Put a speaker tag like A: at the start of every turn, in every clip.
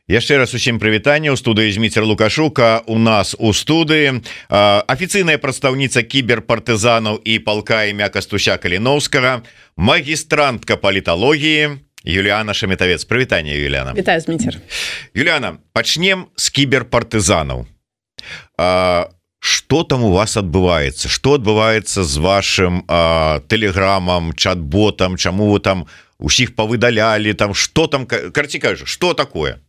A: Яшчэ раз усім прывітанне. У студыі Зміцер Лукашука. У нас у студыі афіцыйная прадстаўніца кіберпартызанаў і палка імя Кастуся Каліноўскага, магістрантка паліталогіі Юліана Шаметавец. Прывітанне, Юліана.
B: Вітаю, Зміцер.
A: Юліана, пачнем з кіберпартызанаў. Што там у вас адбываецца? Што адбываецца з вашым тэлеграмам, чат-ботам? Чаму вы там усіх павыдалялі? Там што там, карці кажу, што такое?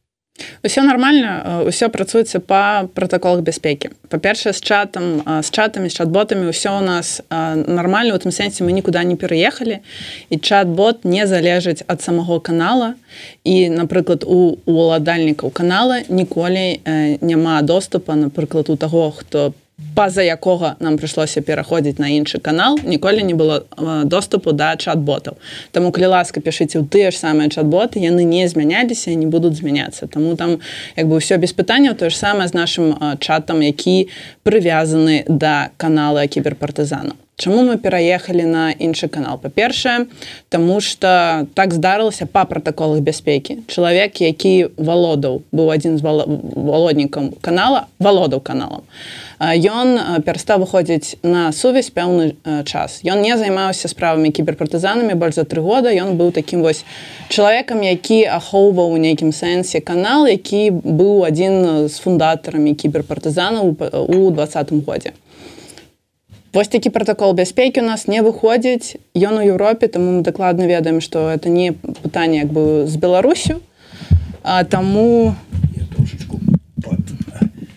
B: Усё нормально, усё працуецца па пратаколах бяспекі. Па-першае, з чатамі, з чат-ботамі ўсё у нас нормально, у тым сэнсе мы нікуды не пераехалі, і чат-бот не залежыць ад самого канала, і, напрыклад, у уладальнікаў канала ніколі няма доступа, напрыклад, у таго, хто па-за якога нам прыйшлося пераходзіць на іншы канал, ніколі не было доступу да чат-ботаў. Таму, калі ласка, пішыце ў тыя ж самыя чат-боты, яны не змяняліся і не будуць змяняцца. Таму там ўсё без пытанняў, тое ж самае з нашым чатам, які прывязаны да канала кіберпартызанаў. Чаму мы пераехалі на іншы канал? Па-першае, таму што так здарылася па пратаколах бяспекі. Чалавек, які быў адзін з валоднікаў канала, валодаў каналам. Ён перастаў выходзіць на сувязь пэўны час. Ён не займаўся справамі кіберпартызанамі больш за 3 года. Ён быў такім вось чалавекам, які ахоўваў у нейкім сэнсе канал, які быў адзін з фундатарамі кіберпартызанаў у 2020 годзе. Вось такі пратакол бяспекі у нас не выходзіць. Ён у Еўропе, таму мы дакладна ведаем, што это не пытанне з Беларусю. Таму...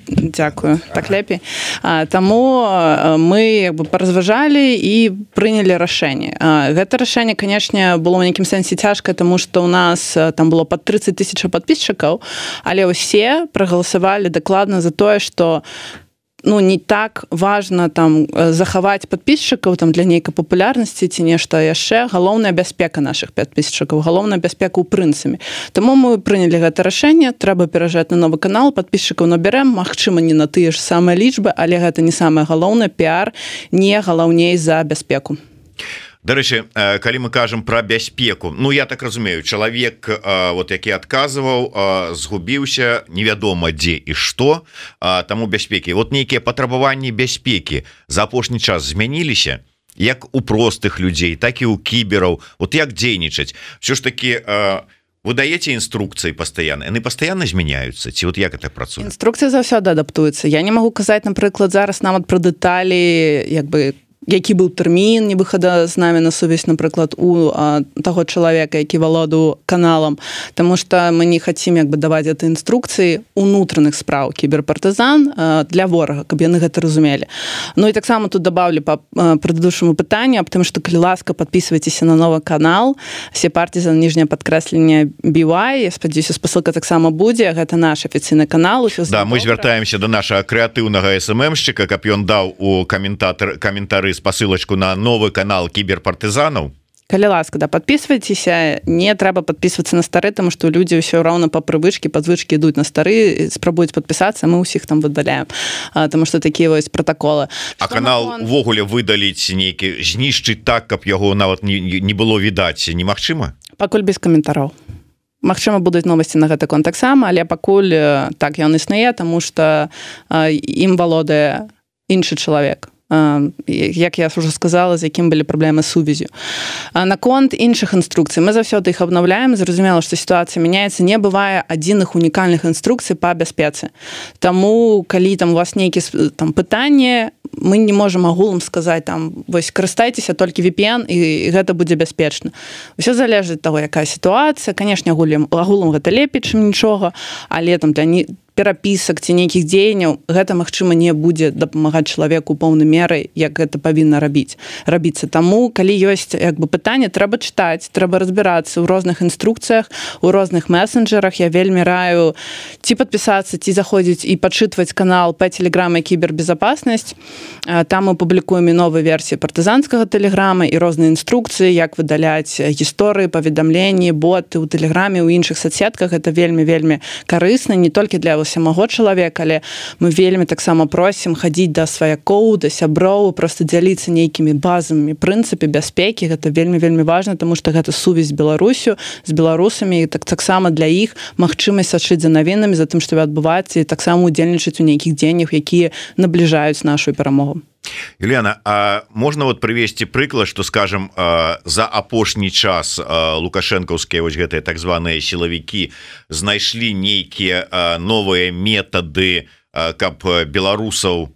B: Дзякую, так лепей. Таму мы паразважалі і прынялі рашэнне. Гэта рашэнне, канешне, было ў нейкім сэнсе цяжкае, таму што ў нас там было пад 30 000 падпісчыкаў, але ўсе прагаласавалі дакладна за тое, што не так важна там захаваць падпісчыкаў там для нейкай папулярнасці ці нешта яшчэ. Галоўная бяспека нашых падпісчыкаў, галоўная бяспека ў прынцыпе. Таму мы прынялі гэта рашэнне, трэба пераязджаць на новы канал, падпісчыкаў набярэм, магчыма, не на тыя ж самыя лічбы, але гэта не самае галоўнае, піар не галоўней за бяспеку.
A: Дарэчы, калі мы кажам пра бяспеку, я так разумею, чалавек, які адказваў, згубіўся, невядома дзе і што, таму бяспекі. Нейкія патрабаванні бяспекі за апошні час змяніліся, як у простых людзей, так і ў кібераў. Як дзейнічаць? Всё ж такі... Вы даеце інструкцыі пастаянна, яны пастаянна змяняюцца, ці як это працуе?
B: Інструкцыя заўсёды адаптуецца. Я не магу казаць, напрыклад, зараз нават пра дэталі, які быў тэрмін не выхада з намі на сувязь, напрыклад, у таго чалавека, які валодаў каналам, таму што мы не хацім даваць гэта інструкцыі унутраных спраў кіберпартызан для ворага, каб яны гэта разумелі. І таксама тут дабаўлю па прадыдучаму пытанню аб тым, што калі ласка, падпісвайцеся на новы канал, Сепартизан, ніжняе падкрэсленне BY, я спадзяюся, спасылка таксама будзе, гэта наш афіцыйны канал.
A: Да, мы звяртаемся да нашага крэатыўнага СММшчыка, каб ён даў у каментары спасылачку на новы канал кіберпартызанаў.
B: Калі ласка, падпісвайцеся, не трэба падпісвацца на стары, таму што людзі ўсё роўна па прывычкі, па звычкі ідуць на стары, спрабуюць падпісацца, мы ўсіх там выдаляем, таму што такія вось пратаколы.
A: А канал увогуле выдаліць нейкі, знішчыць так, каб яго нават не было відаць, немагчыма?
B: Пакуль без каментараў. Магчыма, будуць новасці на гэты конт таксама, але пакуль так ён існуе, таму што ім валодае іншы чалавек. Як я ўжо сказала, з якім былі праблемы з сувязю. Наконт іншых інструкцый, мы заўсёды іх абнаўляем, зразумела, што сітуацыя мяняецца, не бывае адзіных унікальных інструкцый па бяспецы. Таму, калі там у вас нейкія пытанні, мы не можам агулам сказаць, вось карыстайцеся толькі VPN, і гэта будзе бяспечна. Усё залежыць ад таго, якая сітуацыя. Канешне, агулам гэта лепей, чым нічога, але там для перапісак ці нейкіх дзеянняў гэта, магчыма, не будзе дапамагаць чалавеку поўнай мерай, як гэта павінна рабіцца. Таму, калі ёсць пытанне, трэба чытаць, трэба разбірацца ў розных інструкцыях, у розных месенджерах. Я вельмі раю ці падпісацца, ці заходзіць і пачытваць канал па тэлеграме кібербезапаснасць. Там мы публікуем і новыя версіі партызанскага тэлеграма і розныя інструкцыі, як выдаляць гісторыі, паведамленні, боты ў тэлеграме, у іншых соцсетках. Гэта вельмі-вельмі карысна, не толькі для таго самого чалавека, але мы вельмі таксама просім хадзіць да сваякоў, да сяброў, просто дзяліцца нейкімі базавымі прынцыпе бяспекі. Гэта вельмі важна, тому што гэта сувязь з Беларусю, з беларусамі, і таксама для іх магчымасць сачыць за навінамі, за тым, што адбываецца, і таксама удзельнічаць у нейкіх дзеяннях, якія набліжаюць нашу перамогу.
A: Юліана, а можна вот прывесці прыклад, што, скажем, за апошні час лукашэнкаўскія вось гэтыя так званыя сілавікі знайшлі нейкія новыя метады, каб беларусаў,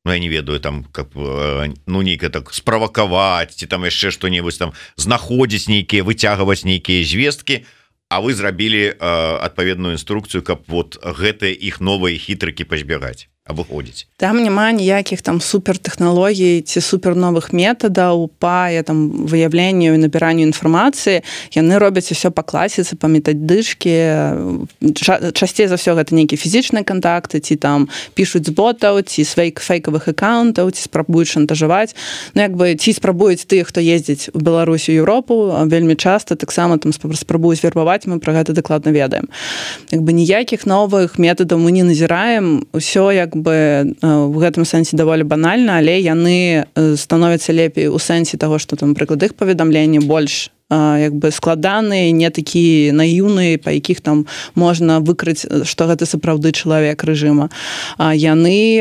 A: ну, я не ведаю, там, каб, ну, нейкая так справакаваць, ці там яшчэ што-небудзь там знаходзіць нейкія, выцягваць нейкія звесткі, а вы зрабілі адпаведную інструкцыю, каб вот гэтыя іх новыя хітрыкі пазбягаць, абыходзіць.
B: Там няма ніякіх там супертэхналогій ці суперновых метадаў па там выяўленню і набіранню інфармацыі. Яны робяць усё па класіцы, па метадычкі. Часцей за ўсё гэта нейкія фізічныя кантакты, ці там пішуць з ботаў, ці фейкавых аккаунтаў, ці спрабуюць шантажаваць. Ну, як бы, ці спрабуюць тых, хто ездзіць у Беларусь, у Еўропу, вельмі часта таксама там спрабуюць вербаваць, мы пра гэта дакладна ведаем. Як бы ніякіх новых метадаў мы не назіраем, усё як бы в гэтым сэнсе даволі банальна, але яны становяцца лепей у сэнсе таго, што там, напрыклад, іх паведамленні больш як бы складаныя, не такі наіўныя, па якіх там можна выкрыць, што гэта сапраўды чалавек рэжыма. Яны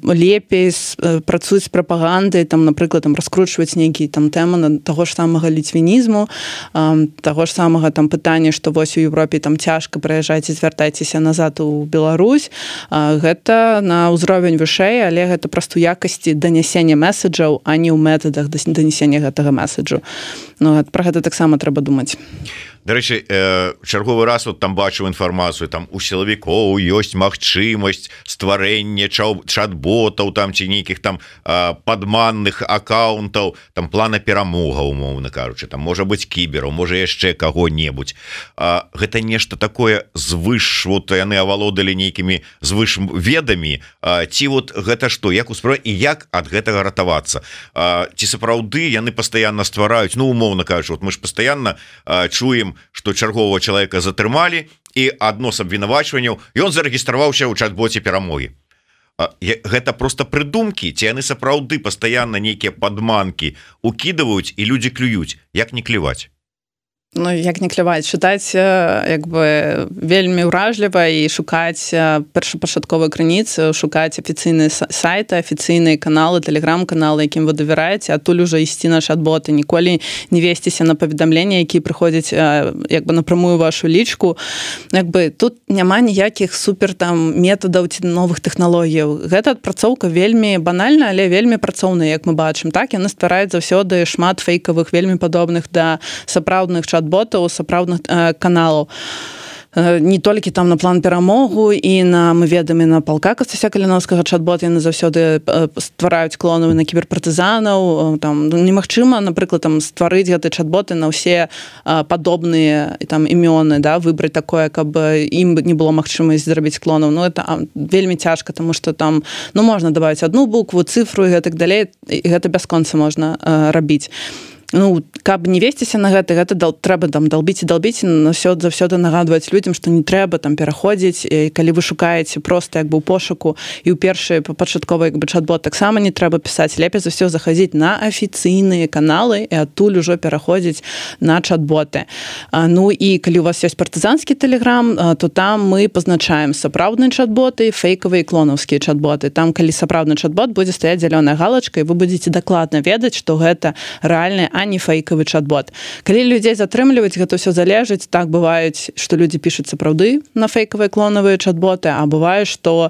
B: лепей працуюць з прапагандай, там, напрыклад, там раскручваць нейкія там тэмы таго ж самага ліцвінізму, таго ж самага там пытання, што вось у Еўропе там цяжка прыязджаць і звяртайцеся назад у Беларусь. Гэта на ўзровень вышэй, але гэта проста ў якасці данясення месаджаў, а не ў метадах данесення гэтага месаджу. Ну, пра гэта таксама трэба думаць.
A: Дарэчы, чарговы раз вот там бачу інфармацыю, там у сілавікоў ёсць магчымасць стварэння чат-ботаў там ці нейкіх там падманных аккаунтаў, там плана перамога, умоўна кажучы, там можа быць кібераў, можа яшчэ каго-небудзь. Гэта нешта такое звыш, вот яны авалодалі нейкімі звыш ведамі, ці вот гэта што, як успраць і як ад гэтага ратавацца? Ці сапраўды яны пастаянна ствараюць, ну, умоўна кажучы, вот мы ж пастаянна чуем, што чаргового чалавека затрымалі і адно з абвінавачванняў, ён зарэгістраваўся ў чат-боце перамогі. Гэта проста прыдумкі, ці яны сапраўды пастаянна нейкія падманкі укідваюць і людзі клююць, як не кліваць?
B: Ну, як не кляваць, чытаць як бы вельмі ўражліва і шукаць першапачатковыя крыніцы, шукаць афіцыйныя сайты, афіцыйныя каналы, тэлеграм-каналы, якім вы давяраеце, адтуль ужо ісці на чат-боты, ніколі не весціся на паведамленні, якія прыходзяць як бы напрамую вашу лічку. Як бы тут няма ніякіх супер там метадаў ці новых тэхналогіяў. Гэта адпрацоўка вельмі банальна, але вельмі працоўная, як мы бачым. Так, яны ствараюць заўсёды шмат фейкавых, вельмі падобных да сапраўдных чат-ботаў, сапраўдных каналаў. Не толькі там на план перамогу і на, мы ведаем, і на палка Костася Каліновскага чат-бот, яны заўсёды ствараюць клонавы на кіберпартызанаў. Там немагчыма, напрыклад, там стварыць гэты чат-боты на ўсе падобныя там імёны, да, выбраць такое, каб ім не было магчымасць зрабіць клонаў. Ну, это вельмі цяжка, таму што там, ну, можна дабавіць одну букву, цифру і гэтак далей, і гэта бясконца можна рабіць. Ну, каб не весціся на гэта трэба там далбіць і далбіць, заўсёды нагадваць людзям, што не трэба там пераходзіць, і калі вы шукаеце проста як бы ў пошуку і ў першы пачатковы як бы чат-бот таксама не трэба пісаць, лепей за ўсё захадзіць на афіцыйныя каналы і адтуль ужо пераходзіць на чат-боты. Ну і калі у вас ёсць партызанскі тэлеграм, то там мы пазначаем сапраўдныя чат-боты, фейкавыя і клонаўскія чат-боты. Там калі сапраўдны чат-бот будзе стаяць зялёная галачка, і вы будзеце дакладна ведаць, што гэта рэальны, а не фейкавы чат-бот. Калі людзей затрымліваць, гэта ўсё залежыць. Так бываюць, што людзі пішуць сапраўды на фейкавыя клонавыя чат-боты, а бывае, што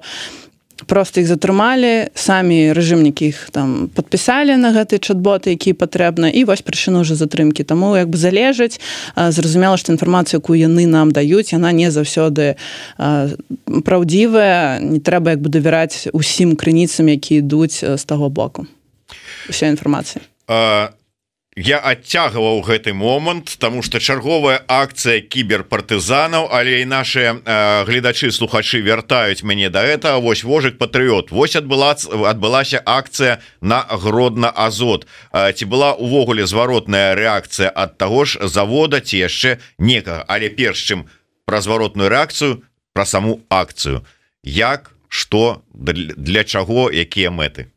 B: просто іх затрымалі, самі рэжымнікі іх там падпісалі на гэты чат-боты, якія патрэбна, і вось прычына ўжо затрымкі. Таму як бы залежыць, зразумела, што інфармацыю, якую яны нам даюць, яна не заўсёды праўдзівая, не трэба як бы давяраць усім крыніцам, якія ідуць з таго боку. Уся інфармацыя.
A: Я адцягваў гэты момант, таму што чарговая акцыя кіберпартызанаў, але і нашыя гледачы, слухачы вяртаюць мяне да гэтага. Вось Вожык Патрыёт. Вось адбылася акцыя на Гродна-Азот. Ці была увогуле зваротная рэакцыя ад таго ж завода ці яшчэ некага? Але перш чым пра зваротную рэакцыю, про саму акцыю, як, што, для чаго, якія мэты?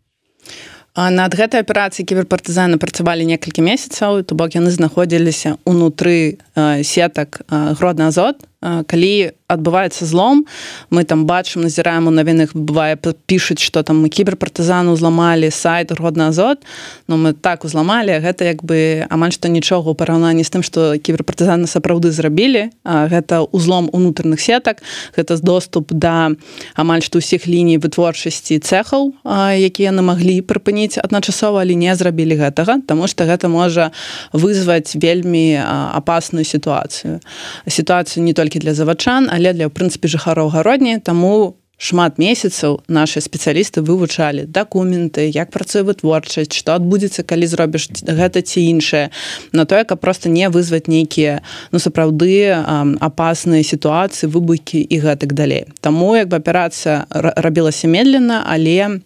B: Над гэтай аперацыяй кіберпартызаны працавалі некалькі месяцаў, то бок яны знаходзіліся ўнутры сетак Гродны Азот. Калі адбываецца злом, мы там бачым, назіраем у навінах, бывае, пішуць, што там мы кіберпартызаны ўзламалі сайт Гродны Азот, но мы так узламалі, гэта як бы амаль што нічога ў параўнанні з тым, што кіберпартызаны сапраўды зрабілі. Гэта ўзлом унутраных сетак, гэта доступ да амаль што ўсіх ліній вытворчасці цэхаў, якія яны маглі прыпыніць адначасова, але не зрабілі гэтага, таму што гэта можа вызваць вельмі апасную сітуацыю. Сітуацыю не толькі для завадчан, але для, ў прынцыпе, жыхароў Гародні, таму шмат месяцаў нашы спецыялісты вывучалі дакументы, як працуе вытворчасць, што адбудзецца, калі зробіш гэта ці іншае, на тое, каб проста не вызваць нейкія, сапраўды апасныя сітуацыі, выбухі і гэтак далей. Таму як бы аперацыя рабілася медленно, але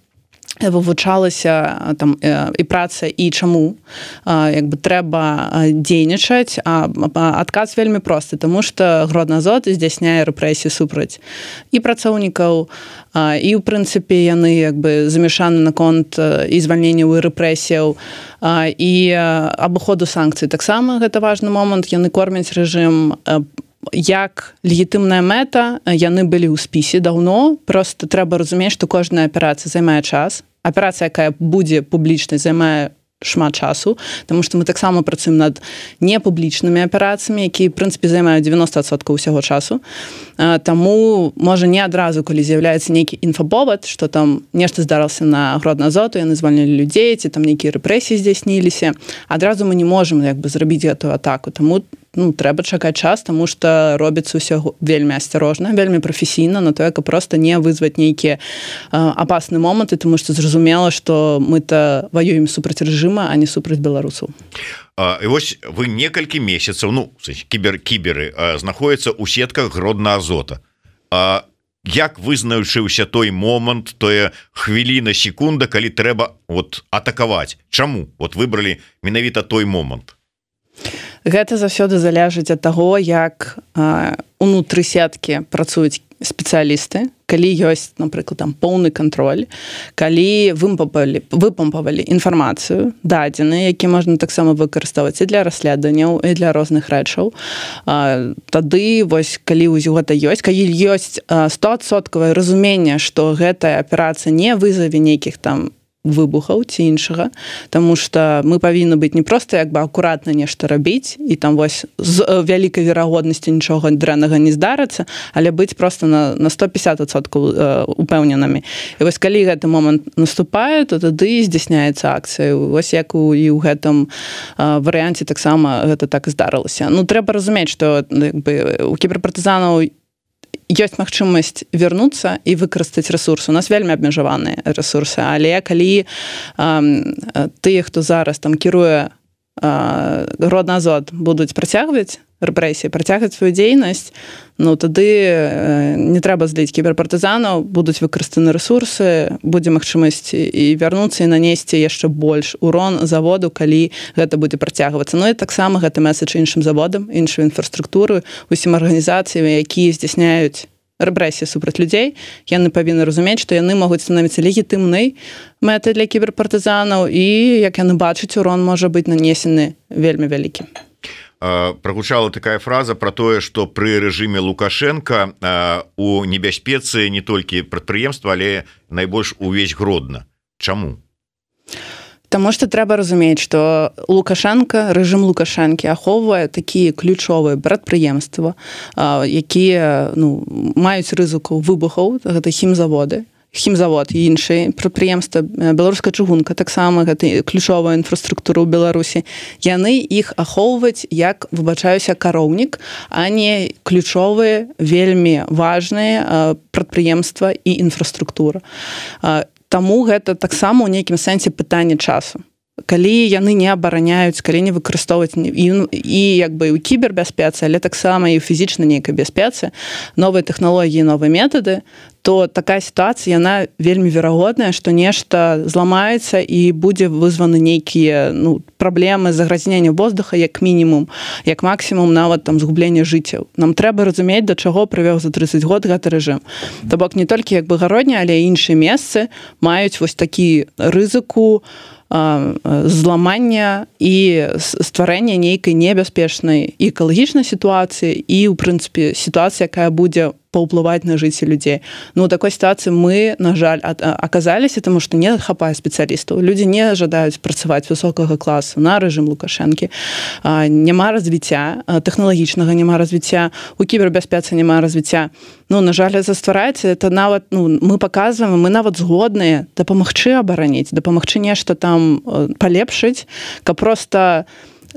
B: вывучалася там і праца, і чаму як бы трэба дзейнічаць, адказ вельмі просты, таму што Гродны Азот здзяйсняе рэпрэсіі супраць і працоўнікаў, і ў прынцыпе яны як бы замешаны наконт і звальненняў і рэпрэсіяў, і абыходу санкцый. Таксама гэта важны момант, яны кормяць рэжым як легітымная мэта, яны былі ў спісе даўно, просто трэба разумець, што кожная аперацыя займае час. Аперацыя, якая будзе публічнай, займае шмат часу, таму што мы таксама працуем над непублічнымі аперацыямі, якія, в прынцыпе, займаюць 90% ўсяго часу. Таму, можа, не адразу, калі з'яўляецца нейкі інфаповад, што там нешта здарылася на Гродны Азот, яны звальнілі людзей, ці там нейкія рэпрэсіі здзяйсніліся, адразу мы не можам як бы зрабіць гэтую атаку. Таму трэба чакаць час, таму што робіцца ўсё вельмі асцярожна, вельмі прафесійна, на тое, каб проста не вызваць нейкія апасныя моманты, таму што зразумела, што мы-то ваюем супраць рэжыма, а не супраць беларусаў.
A: І вось вы некалькі месяцаў, кіберы знаходзяцца ў сетках Гродна Азота. Як вызначыўся той момант, тое хвіліна, секунда, калі трэба атакаваць? Чаму выбралі менавіта той момант?
B: Гэта заўсёды залежыць ад таго, як унутры сеткі працуюць спецыялісты, калі ёсць, напрыклад, там поўны кантроль, калі выпампавалі інфармацыю, дадзеныя, які можна таксама выкарыстоўваць і для расследаванняў, і для розных рэчаў. Тады, вось, калі гэта ёсць, калі ёсць 100% разуменне, што гэтая аперацыя не вызаве нейкіх там выбухаў ці іншага, таму што мы павінны быць не проста як бы акуратна нешта рабіць і там вось з вялікай верагоднасцю нічога дрэннага не здарыцца, але быць проста на 150% упэўненымі. І вось калі гэты момант наступае, то тады здзяйсняецца акцыя. Вось як і ў гэтым варыянце таксама гэта так і здарылася. Трэба разумець, што у кіберпартызанаў ёсць магчымасць вярнуцца і выкарыстаць рэсурсы. У нас вельмі абмежаваныя рэсурсы, але калі тыя, хто зараз там кіруе Гродны Азот, будуць працягваць рэпрэсіі, працягваць сваю дзейнасць, тады не трэба зліць кіберпартызанаў, будуць выкарыстаны рэсурсы, будзе магчымасць і вярнуцца і нанесці яшчэ больш урон заводу, калі гэта будзе працягвацца. І таксама гэты меседж іншым заводам, іншай інфраструктуры, усім арганізацыям, якія здзяйсняюць рэпрэсіі супраць людзей, яны павінны разумець, што яны могуць становіцца легітымнай мэтай для кіберпартызанаў і, як яны бачаць, урон можа быць нанесены вельмі вялікі.
A: Прагучала такая фраза про тое, што пры рэжыме Лукашенка у небяспецы не толькі прадпрыемства, але найбольш увесь Гродна. Чаму?
B: Таму што трэба разумець, што рэжым Лукашэнкі ахоўвае такія ключовыя прадпрыемствы, якія маюць рызыку выбухаў, гэта хімзавод і іншыя прадпрыемствы, беларуская чыгунка, таксама гэта ключовая інфраструктура ў Беларусі. Яны іх ахоўваюць як, выбачаюся, кароўнік, а не ключовыя, вельмі важныя прадпрыемства і інфраструктура. Таму гэта таксама ў нейкім сэнсе пытанне часу. Калі яны не абараняюць, калі не выкарыстоўваюць і як бы ў кібербяспецы, але таксама і ў фізічнай нейкай бяспецы, новыя тэхналогіі, новыя метады, то такая сітуацыя яна вельмі верагодная, што нешта зламаецца і будзе вызваны нейкія праблемы загрязнення воздуха як мінімум, як максімум нават там згублення жыццяў. Нам трэба разумець, да чаго прывёў за 30 год гэты рэжым. То бок не толькі як бы гародня, але і іншыя месцы маюць вось такі рызыку зламання і стварэння нейкай небяспечнай і экалагічнай сітуацыі і, ў прынцыпе, сітуацыя, якая будзе паўплываць на жыцці людзей. У такой сітуацыі мы, на жаль, аказаліся, таму што не хапае спецыялістаў. Людзі не жадаюць працаваць высокага класу на рэжым Лукашэнкі. Няма развіцця тэхналагічнага, няма развіцця, у кібербяспецы няма развіцця. На жаль, заствараецца, это нават, мы паказваем, мы нават згодныя дапамагчы абараніць, дапамагчы нешта там палепшыць, каб проста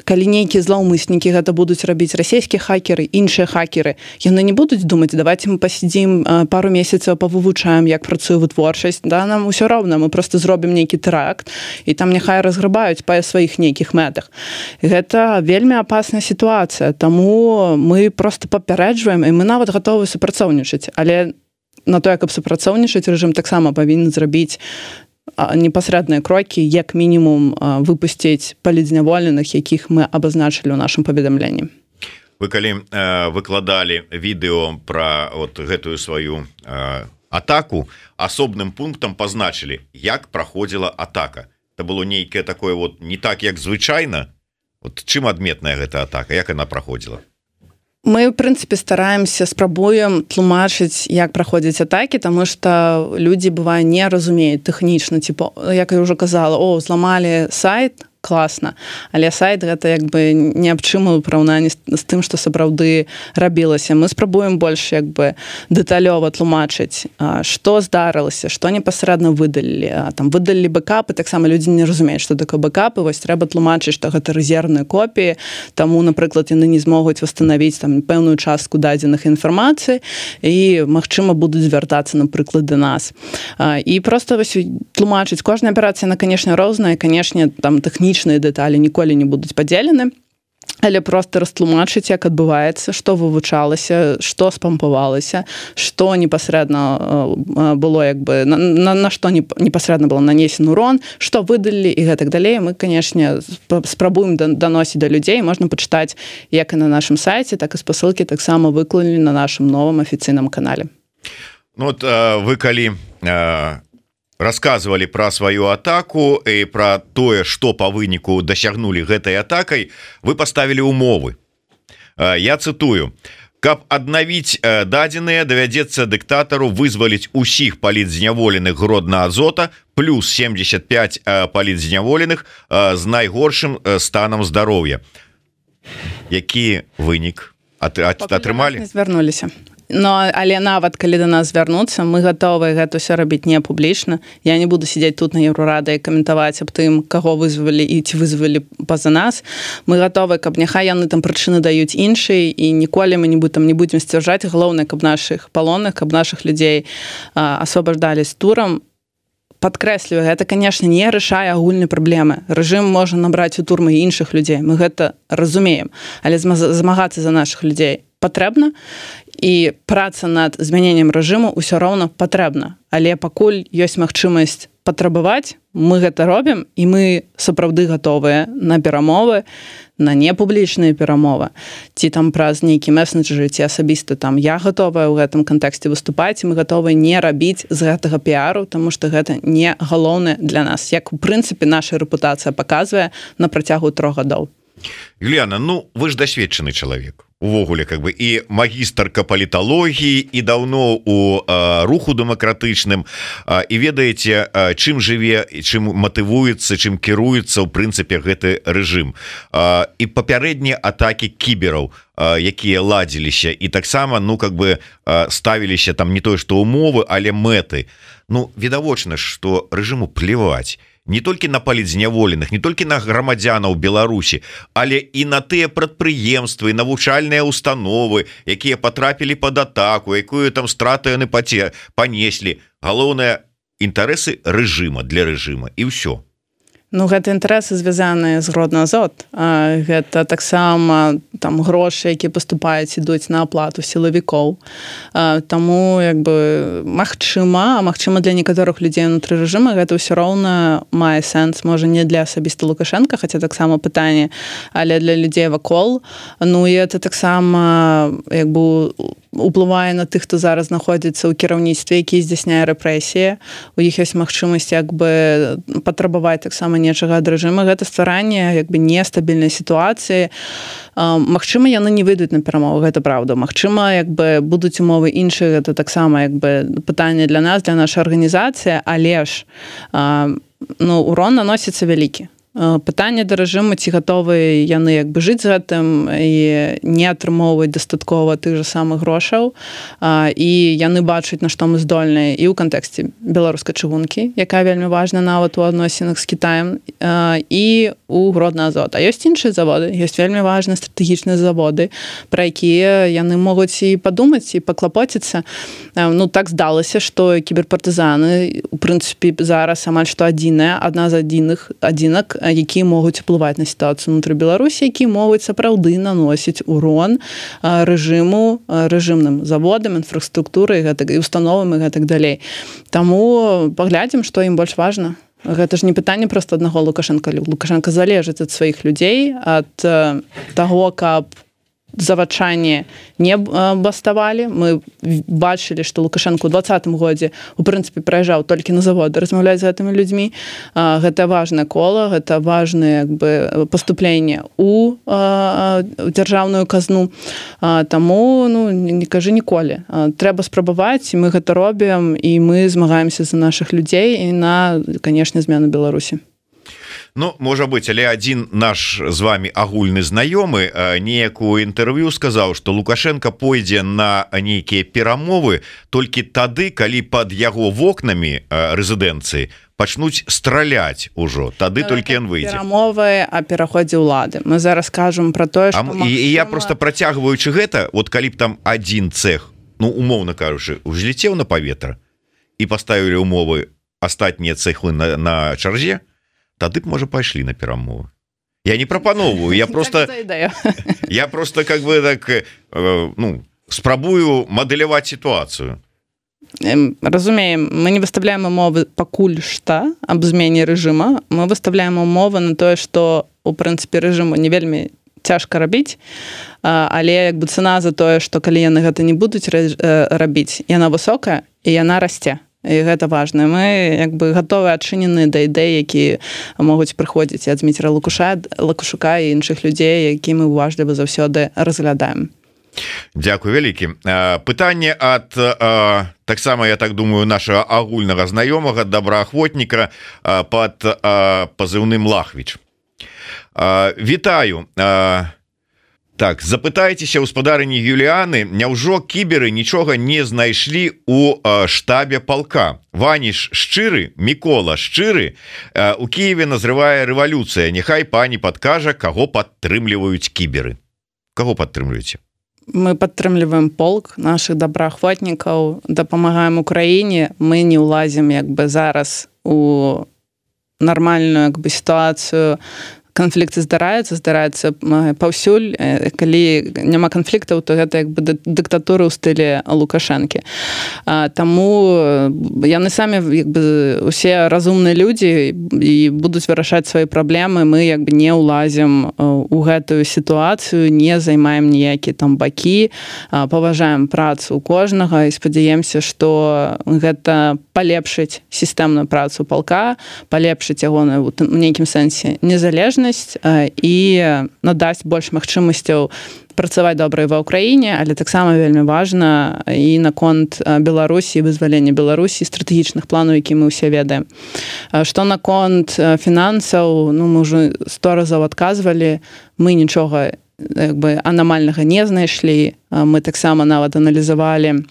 B: калі нейкія злаўмыснікі гэта будуць рабіць расійскія хакеры, іншыя хакеры, яны не будуць думаць, давайте мы пасядзім пару месяцаў, павывучаем, як працуе вытворчасць, нам усё роўна, мы просто зробім нейкі тэракт, і там няхай разграбаюць па сваіх нейкіх мэтах. Гэта вельмі апасная сітуацыя, таму мы просто папярэджваем, і мы нават гатовы супрацоўнічаць, але на тое, каб супрацоўнічаць, рэжым таксама павінен зрабіць непасрэдныя крокі, як мінімум выпусціць палідзняволеных, якіх мы абазначылі ў нашым паведамленні.
A: Вы калі выкладалі відэо пра гэтую сваю атаку, асобным пунктам пазначылі, як праходзіла атака. Это было нейкае такое не так, як звычайна. Чым адметная гэта атака, як яна праходзіла?
B: Мы, в прынцыпе, стараемся, спрабуем тлумачыць, як праходзяць атакі, таму што людзі, бывае, не разумеюць тэхнічна, як я ўжо казала, зламалі сайт, класна, але сайт гэта як бы не аб чым у параўнанні з тым, што сапраўды рабілася. Мы спрабуем больш як бы дэталёва тлумачыць, што здарылася, што непасрэдна выдалілі. Там выдалілі бэкапы, таксама людзі не разумеюць, што такое бэкапы, вось трэба тлумачыць, што гэта рэзервныя копіі, таму, напрыклад, яны не змогуць восстановіць там пэўную частку дадзеных інфармацыі і, магчыма, будуць звяртацца, напрыклад, да нас. І проста вось тлумачыць. Кожная аперацыя, яна, канешне, розная, канешне, там тэхнічна дэталі ніколі не будуць падзелены, але проста растлумачыць, як адбываецца, што вывучалася, што спампавалася, што непасрэдна было, як бы, на што непасрэдна было нанесен урон, што выдалілі і гэтак далей. Мы, канешне, спрабуем даносіць да людзей. Можна пачытаць як і на нашым сайце, так і спасылкі таксама выклалі на нашым новым афіцыйным канале.
A: Вы калі рассказывали про свою атаку и про тое, что по выніку дасягнули гэтай атакай, вы поставили умовы. Я цитую: каб аднавіць дадзеныя, давядзецца дыктатару вызваліць усіх палітзняволеных Гродна Азота плюс 75 палітзняволеных з найгоршым станам здароўя. Які вынік атрымалі?
B: Звярнуліся. Але нават калі да нас звярнуцца, мы гатовыя гэта ўсё рабіць не публічна. Я не буду сидзець тут на Еўрорады і каментаваць аб тым, каго вызвалі і ці вызвалі па-за нас. Мы гатовыя, каб няхай яны там прычыны даюць іншыя, і ніколі мы не будзем сцвярджаць. Галоўнае, каб нашых палонных, каб нашых людзей асвабаждалі з турам. Падкрэсліваю, гэта, канешне, не рашае агульнай праблемы. Рэжым можа набраць у турмы іншых людзей. Мы гэта разумеем. Але змагацца за нашых людзей патрэбна, і праца над змяненнем рэжыму ўсё роўна патрэбна. Але пакуль ёсць магчымасць патрабаваць, мы гэта робім, і мы сапраўды гатовыя на перамовы, на непублічныя перамовы. Ці там праз нейкі месенджеры, ці асабіста там я гатовая ў гэтым кантэксце выступаць, і мы гатовыя не рабіць з гэтага піару, таму што гэта не галоўнае для нас. Як, у прынцыпе, наша рэпутацыя паказвае на працягу 3 гадоў.
A: Юліяна, вы ж дасведчаны чалавек. Увогуле, как бы, і магістарка паліталогіі, і даўно у руху дэмакратычным, і ведаеце, чым жыве, чым матывуецца, чым кіруецца ў прынцыпе гэты рэжым. І папярэднія атакі кібераў, якія ладзіліся, і таксама, ставіліся там не тое, што умовы, але мэты. Відавочна, што рэжыму плеваць не толькі на палітзняволеных, не толькі на грамадзянаў Беларусі, але і на тыя прадпрыемствы, навучальныя установы, якія патрапілі пад атаку, якую там страту яны панеслі. Галоўнае, інтарэсы рэжыма для рэжыма, і ўсё.
B: Ну, гэта інтарэсы звязаныя з Гродно-Азот. Гэта таксама там грошы, якія паступаюць, ідуць на аплату сілавікоў. Таму магчыма для некаторых людзей унутры рэжыма гэта ўсё роўна мае сэнс, можа не для асабіста Лукашенка, хаця таксама пытанне, але для людзей вакол. Ну і это таксама уплывае на тых, хто зараз знаходзіцца ў кіраўніцтве, які здзяйсняе рэпрэсіі. У іх ёсць магчымасць патрабаваць таксама нечага ад рэжыма. Гэта стваранне нестабільнай сітуацыі. Магчыма, яны не выйдуць на перамовы, гэта праўда. Магчыма, будуць умовы іншыя, гэта таксама пытанне для нас, для нашай арганізацыі, але ж урон наносіцца вялікі. Пытанне да рэжыму, ці гатовы яны жыць з гэтым і не атрымоўваць дастаткова тых жа самых грошаў, і яны бачаць, на што мы здольныя і ў кантэксце беларускай чыгункі, якая вельмі важна нават у адносінах з Кітаем, і у Гродно-Азот. А ёсць іншыя заводы, ёсць вельмі важныя стратэгічныя заводы, пра якія яны могуць і падумаць, і паклапоціцца. Так здалася, што кіберпартызаны, у прынцыпе, зараз амаль што адна з адзінак, якія могуць уплываць на сітуацыю ўнутры Беларусі, якія могуць сапраўды наносіць урон рэжыму, рэжымным заводам, інфраструктуры і установам і гэтак далей. Таму паглядзім, што ім больш важна. Гэта ж не пытанне проста аднаго Лукашенка. Лукашенка залежыць ад сваіх людзей, ад таго, каб завачанне не баставалі. Мы бачылі, што Лукашенко ў 2020 годзе у прынцыпе прыязджаў толькі на заводы размаўляць з гэтымі людзьмі. Гэта важнае кола, гэта важнае паступленне ў дзяржаўную казну. Таму не кажы ніколі. Трэба спрабаваць, і мы гэта робім, і мы змагаемся за нашых людзей і на, канешне, змену Беларусі.
A: Можа быць, але адзін наш з вами агульны знаёмы неякую інтэрв'ю сказаў, што Лукашенко пойдзе на нейкія перамовы толькі тады, калі пад яго вокнамі рэзідэнцыі пачнуць страляць ужо, тады толькі ён выйдзе.
B: Перамовы о пераходзе ўлады. Мы зараз кажам пра тое, што
A: магчыма... І я просто працягваючы гэта, калі б там адзін цэх, умоўна кажучы, узлецеў на паветра і паставілі умовы астатнія цэхлы на чарзе, тады б, можа, пайшлі на перамовы. Я не прапановваю, я просто спрабую мадэляваць сітуацыю.
B: Разумеем, мы не выставляем умовы пакуль што аб змене рэжыма, мы выставляем умовы на тое, што у прынцыпе рэжыму не вельмі цяжка рабіць, але цана за тое, што калі яны гэта не будуць рабіць, яна высокая і яна расце. І гэта важна. Мы гатовы адчынены да ідэй, якія могуць прыходзіць ад Зміцера Лукашука і іншых людзей, які мы уважліва заўсёды разглядаем.
A: Дзякуй вялікі. Пытанне ад таксама, я так думаю, нашага агульнага знаёмага добраахвотніка пад пазыўным Лахвіч. Вітаю. Так, запытайцеся гаспадарыні Юліаны, няўжо кіберы нічога не знайшлі у штабе палка? Ваніш шчыры, Мікола шчыры, у Кіеве назрывае рэвалюцыя. Няхай пані падкажа, каго падтрымліваюць кіберы. Каго падтрымліваеце?
B: Мы падтрымліваем полк нашых добраахвотнікаў, дапамагаем Украіне. Мы не ўлазім зараз у нармальную сітуацыю. Канфлікты здараецца паўсюль. Калі няма канфліктаў, то гэта дыктатура ў стылі Лукашэнкі. Таму яны самі усе разумныя людзі і будуць вырашаць свае праблемы. Мы не ўлазім у гэтую сітуацыю, не займаем ніякія там бакі, паважаем працу кожнага і спадзяемся, што гэта палепшыць сістэмную працу палка, палепшыць ягоную у нейкім сэнсе незалежнасць і надасць больш магчымасцяў працаваць добра ва ўкраіне, але таксама вельмі важна і наконт Беларусі, вызвалення Беларусі, стратэгічных планаў, які мы ўсе ведаем. Што наконт фінансаў, мы ўжо 100 разоў адказвалі, мы нічога анамальнага не знайшлі. Мы таксама нават аналізавалі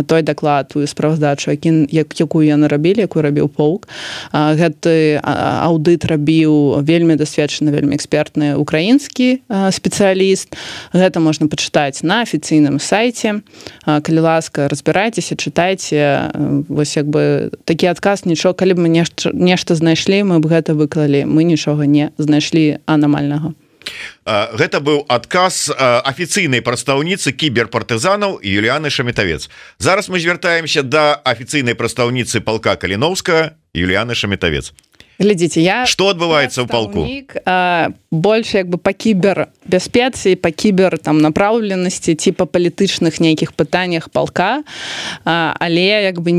B: той даклад, тую справаздачу, якую яны рабілі, якую рабіў полк. Гэты аўдыт рабіў вельмі дасведчаны, вельмі экспертны украінскі спецыяліст. Гэта можна пачытаць на афіцыйным сайце. Калі ласка, разбірайцеся, чытайце. Вось як бы такі адказ, нічога, калі б мы нешта знайшлі, мы б гэта выклалі. Мы нічога не знайшлі анамальнага.
A: Гэта быў адказ афіцыйнай прадстаўніцы кіберпартызанаў Юліяны Шаметавец. Зараз мы звяртаемся да афіцыйнай прадстаўніцы палка Каліноўскага Юліяны Шаметавец.
B: Глядзіце, я
A: што адбываецца ў палку?
B: Больш як бы па кібербяспецы, па кібер там напраўленасці ці па палітычных нейкіх пытаннях палка, але як бы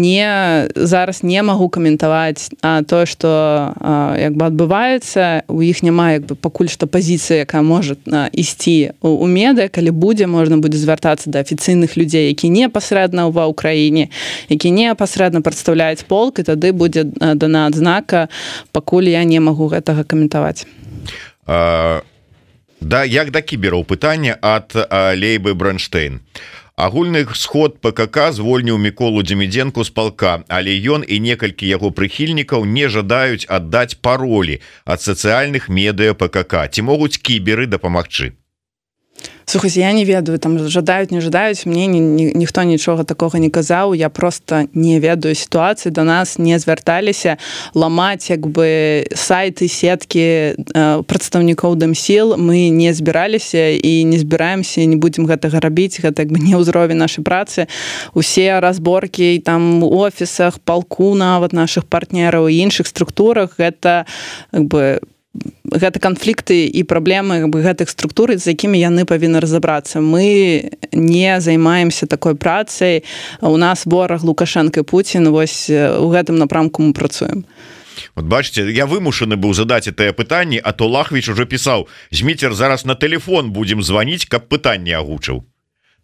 B: зараз не магу каментаваць тое, што як бы адбываецца. У іх няма як бы пакуль што пазіцыі, якая можа ісці у медыа. Калі будзе, можна будзе звяртацца да афіцыйных людзей, які непасрэдна ва ўкраіне, які непасрэдна прадстаўляюць полк, і тады будзе дана адзнака. Пакуль я не магу гэтага каментаваць.
A: Да, як да кібераў пытанне ад Лейбы Бранштейн. Агульны сход ПКК звольніў Міколу Дземідзенку з палка, але ён і некалькі яго прыхільнікаў не жадаюць аддаць паролі ад сацыяльных медыа ПКК. Ці могуць кіберы дапамагчы?
B: Слухайте, я не ведаю, там жадаюць, не жадаюць, мне ніхто нічога такога не казаў, я просто не ведаю сітуацыі, да нас не звярталіся ламаць як бы сайты, сеткі прадстаўнікоў Дэмсіл, мы не збіраліся і не збіраемся, не будзем гэтага рабіць, гэта як бы не ўзровень нашай працы. Усе разборкі там у офісах, палку нават нашых партнераў і іншых структурах, гэта як бы гэта канфлікты і праблемы гэтых структур, з якімі яны павінны разабрацца. Мы не займаемся такой працай. У нас вораг Лукашенко і Пуцін, вось у гэтым напрамку мы працуем.
A: Вот бачите, я вымушаны быў задаць гэтае пытанне, а то Лахвіч уже пісаў: Зміцер, зараз на телефон будзем званіць, каб пытанне агучыў.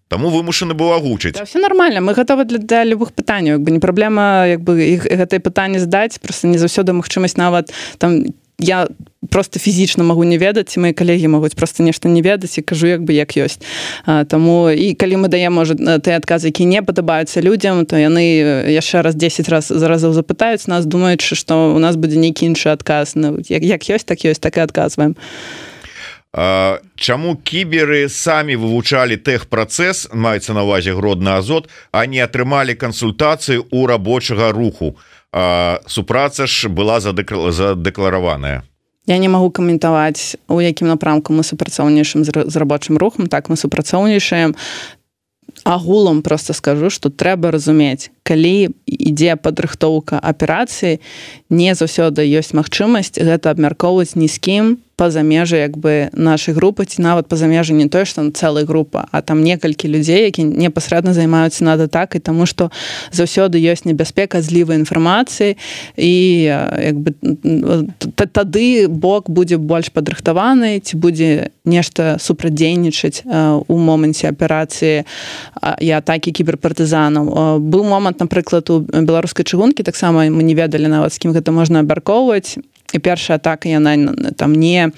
A: Таму вымушаны быў агучыць.
B: Да, все нормально, мы гатовы для любых пытанняў. Як бы не праблема як бы гэтае пытанне здаць, просто не заўсёды магчымасць нават там. Я просто фізічна магу не ведаць, ці мои калегі могуць просто нешта не ведаць, і кажу як бы як ёсць. Таму і калі мы даем, можа, тыя адказы, які не падабаюцца людзям, то яны яшчэ раз 10 разоў запытаюць нас, думаючы, што у нас будзе нейкі іншы адказ. Ну, як ёсць, так і адказваем.
A: Чаму кіберы самі вывучалі тэхпрацэс, маецца на ўвазе Гродны Азот, а не атрымалі кансультацыі ў рабочага руху? Супраца ж была задэклараваная.
B: Я не магу каментаваць, у якім напрамку мы супрацоўнічаем з рабочым рухам. Так, мы супрацоўнічаем. Агулам просто скажу, што трэба разумець, калі ідзе падрыхтоўка аперацыі, не заўсёды ёсць магчымасць гэта абмяркоўваць ні з кім па-за межы як бы нашай групы, ці нават па-за межы не тое, што цэлая група, а там некалькі людзей, які непасрэдна займаюцца над атакай, таму што заўсёды ёсць небяспека злівай інфармацыі, і як бы тады бок будзе больш падрыхтаваны, ці будзе нешта супрацьдзейнічаць у моманце аперацыі і атакі кіберпартызанаў. Быў момант, напрыклад, у беларускай чыгункі, таксама мы не ведалі нават, з кім гэта можна абмяркоўваць, і першая атака яна там не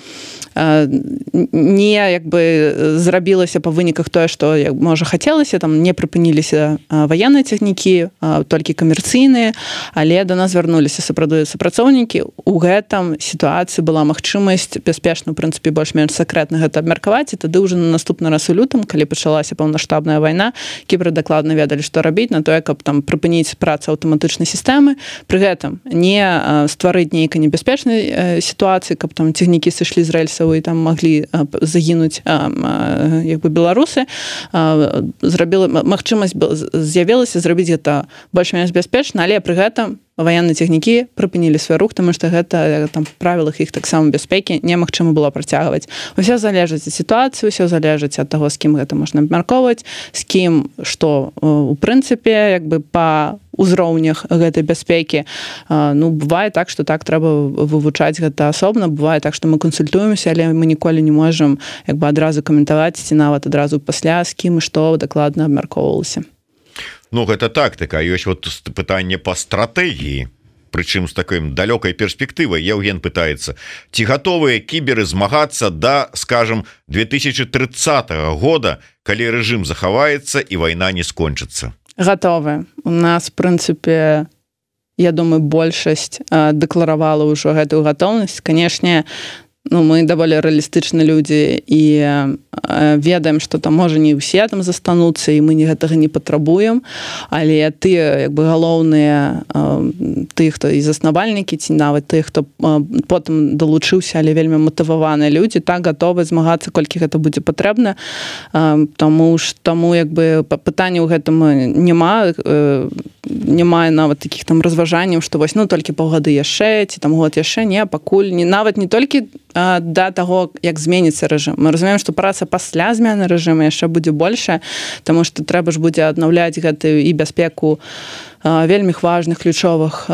B: як бы зрабілася па выніках тое, што можа хацелася, там не прыпыніліся ваенныя цягнікі, толькі камерцыйныя, але да нас звярнуліся супрацоўнікі. У гэтым сітуацыі была магчымасць бяспечна, у прынцыпе, больш-менш сакрэтна гэта абмеркаваць, і тады ўжо на наступны раз у лютым, калі пачалася паўнамаштабная вайна, кіберы дакладна ведалі, што рабіць на тое, каб там прыпыніць працу аўтаматычнай сістэмы, пры гэтым не стварыць нейкай небяспечнай сітуацыі, каб там цягнікі сышлі з рэльсаў і там маглі загінуць як бы беларусы. Магчымасць з'явілася зрабіць гэта больш-менш бяспечна, але пры гэтым ваенныя цягнікі прыпынілі свой рух, таму што гэта там правілах іх таксама бяспекі немагчыма было працягваць. Усё залежыць ад сітуацыі, усё залежыць ад таго, з кім гэта можна абмяркоўваць, з кім што у прынцыпе як бы па узроўнях гэтай бяспекі. Ну, бывае так, што так трэба вывучаць гэта асобна, бывае так, што мы кансультуемся, але мы ніколі не можам як бы адразу каментаваць, ці нават адразу пасля, з кім і што дакладна абмяркоўвалася.
A: Ну, гэта тактыка, ёсць вот пытанне па стратэгіі, прычым з такой далёкай перспектывай. Евген пытаецца, ці гатовыя кіберы змагацца да, скажем, 2030 года, калі рэжым захаваецца і вайна не скончыцца?
B: Готовы. У нас, в прынцыпе, я думаю, большасць дэкларавала ўжо гэтую гатоўнасць. Канешне, мы даволі рэалістычныя людзі і ведаем, што там можа не ўсе там застануцца, і мы гэтага не патрабуем, але тыя галоўныя, тыя, хто і заснавальнікі, ці нават тыя, хто потым далучыўся, але вельмі матываваныя людзі, так гатовы змагацца, колькі гэта будзе патрэбна. Таму пытання ў гэтым няма нават такіх там разважанняў, што вось толькі паўгады яшчэ, ці там год яшчэ, не, пакуль нават не толькі да таго, як зменіцца рэжым. Мы разумеем, што праца пасля змены рэжыму яшчэ будзе большая, таму што трэба ж будзе аднаўляць гэтую і бяспеку вельмі важных ключовых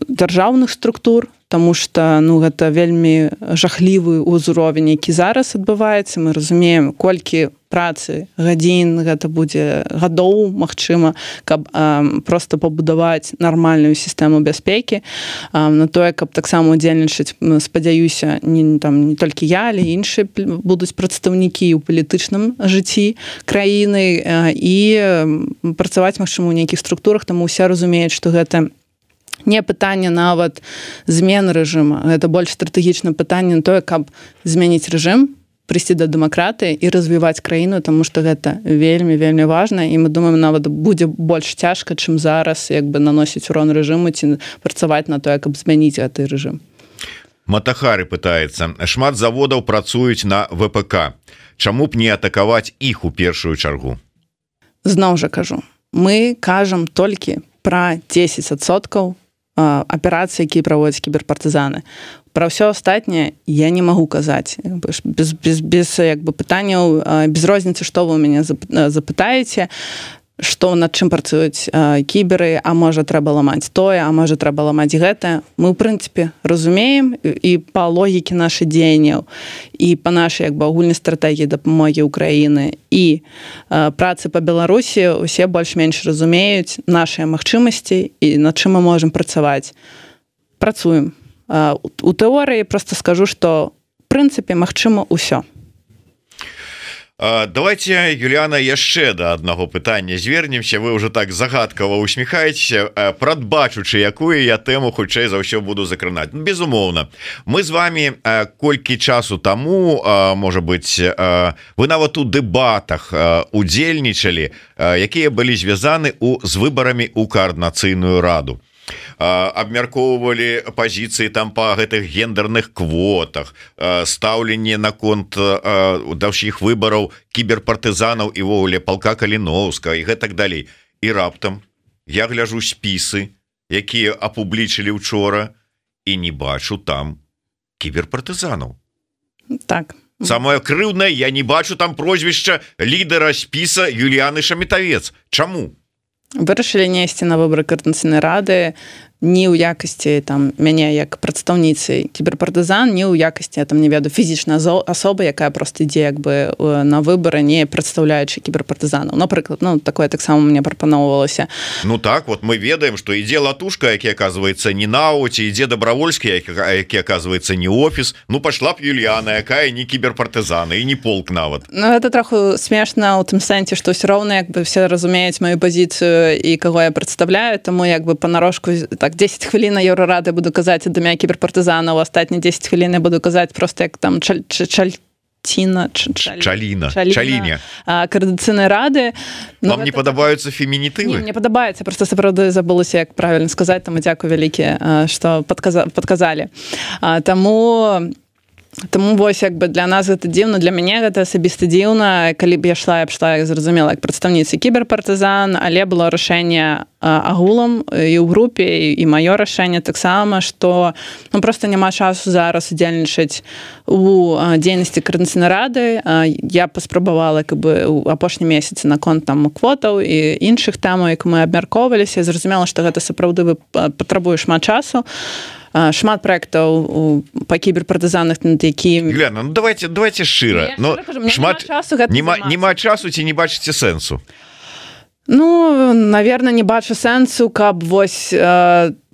B: дзяржаўных структур, таму што гэта вельмі жахлівы ўзровень, які зараз адбываецца. Мы разумеем, колькі працы, гадзін, гэта будзе гадоў, магчыма, каб проста пабудаваць нармальную сістэму бяспекі. На тое, каб таксама удзельнічаць, спадзяюся, не толькі я, але іншыя будуць прадстаўнікі ў палітычным жыцці краіны і працаваць, магчыма, у нейкіх структурах, таму ўсе разумеюць, што гэта не пытанне нават змены рэжыма, гэта больш стратэгічнае пытанне на тое, каб змяніць рэжым, прыйсці да дэмакратыі і развіваць краіну, таму што гэта вельмі важна, і мы думаем, нават будзе больш цяжка, чым зараз наносіць урон рэжыму ці працаваць на тое, каб змяніць гэты рэжым.
A: Матахары пытаецца: шмат заводаў працуюць на ВПК. Чаму б не атакаваць іх у першую чаргу?
B: Зноў жа кажу, мы кажам толькі пра 10% аперацый, якія праводзяць кіберпартызаны. Пра ўсё астатняе я не магу казаць. Без пытанняў, без розніцы, што вы ў мяне запытаеце, што над чым працуюць кіберы, а можа трэба ламаць тое, а можа трэба ламаць гэта. Мы, ў прынцыпе, разумеем і па логікі нашых дзеянняў, і па нашай агульнай стратэгіі дапамогі ўкраіны, і працы па Беларусі усе больш-менш разумеюць нашыя магчымасці і над чым мы можам працаваць. Працуем. У тэорыі проста скажу, што в прынцыпе магчыма ўсё.
A: Давайте, Юліяна, яшчэ да аднаго пытання звернемся. Вы ўжо так загадкава усміхаецеся, прадбачучы, якую я тэму хутчэй за ўсё буду закранаць. Безумоўна, мы з вами колькі часу таму, можа быць, вы нават у дэбатах удзельнічалі, якія былі звязаны з выбарамі ў каардынацыйную раду. Абмяркоўвалі пазіцыі там па гэтых гендерных квотах, стаўленне наконт даўшых выбараў кіберпартызанаў і вовуле палка Каліноўска і гэтак далей. І раптам я гляжу спісы, якія апублічылі учора, і не бачу там кіберпартызанаў.
B: Так.
A: Самае крыўднае, я не бачу там прозвішча лідара спіса Юліяны Шамітавец. Чаму?
B: Вырашылі несці на выбары каардынацыйнай рады не ў якасці мяне як прадстаўніцы кіберпартызан, не ў якасці не ведаю фізічнай асобы, якая проста ідзе на выбары, не прадстаўляючы кіберпартызанаў. Напрыклад, такое таксама мне прапаноўвалася.
A: Так, вот мы ведаем, што ідзе Латушка, які аказваецца не НАУ, ці ідзе Дабравольскі, які аказваецца не офіс. Пашла б Юліяна, якая не кіберпартызана і не полк нават.
B: Гэта троху смешна ў тым сэнсе, што ўсё роўна все разумеюць маю пазіцыю і каго я прадстаўляю, таму панарошку так 10 хвілін на Еўрарады буду казаць ад імя кіберпартызанаў, астатнія 10 хвілін я буду казаць проста як там Чаліня каардынацыйнай рады.
A: Вам не падабаюцца фемінітывы?
B: Не падабаецца, проста сапраўды забылася, як правільна сказаць, таму дзякую вялікі, што падказалі. Таму вось для нас гэта дзіўна, для мяне гэта асабіста дзіўна. Калі б я шла, зразумела, як прадстаўніцы кіберпартызан, але было рашэнне агулам і ў групе, і маё рашэнне таксама, што проста няма часу зараз удзельнічаць у дзейнасці каардынацыйнай рады. Я паспрабавала у апошні месяц наконт квотаў і іншых тэмаў, як мы абмяркоўваліся, зразумела, што гэта сапраўды патрабуе шмат часу. Шмат праектаў па кіберпартызанах, над якімі...
A: Юліяна, давайте шчыра. Няма часу ці не бачыце сэнсу?
B: Наверно, не бачу сэнсу, каб вось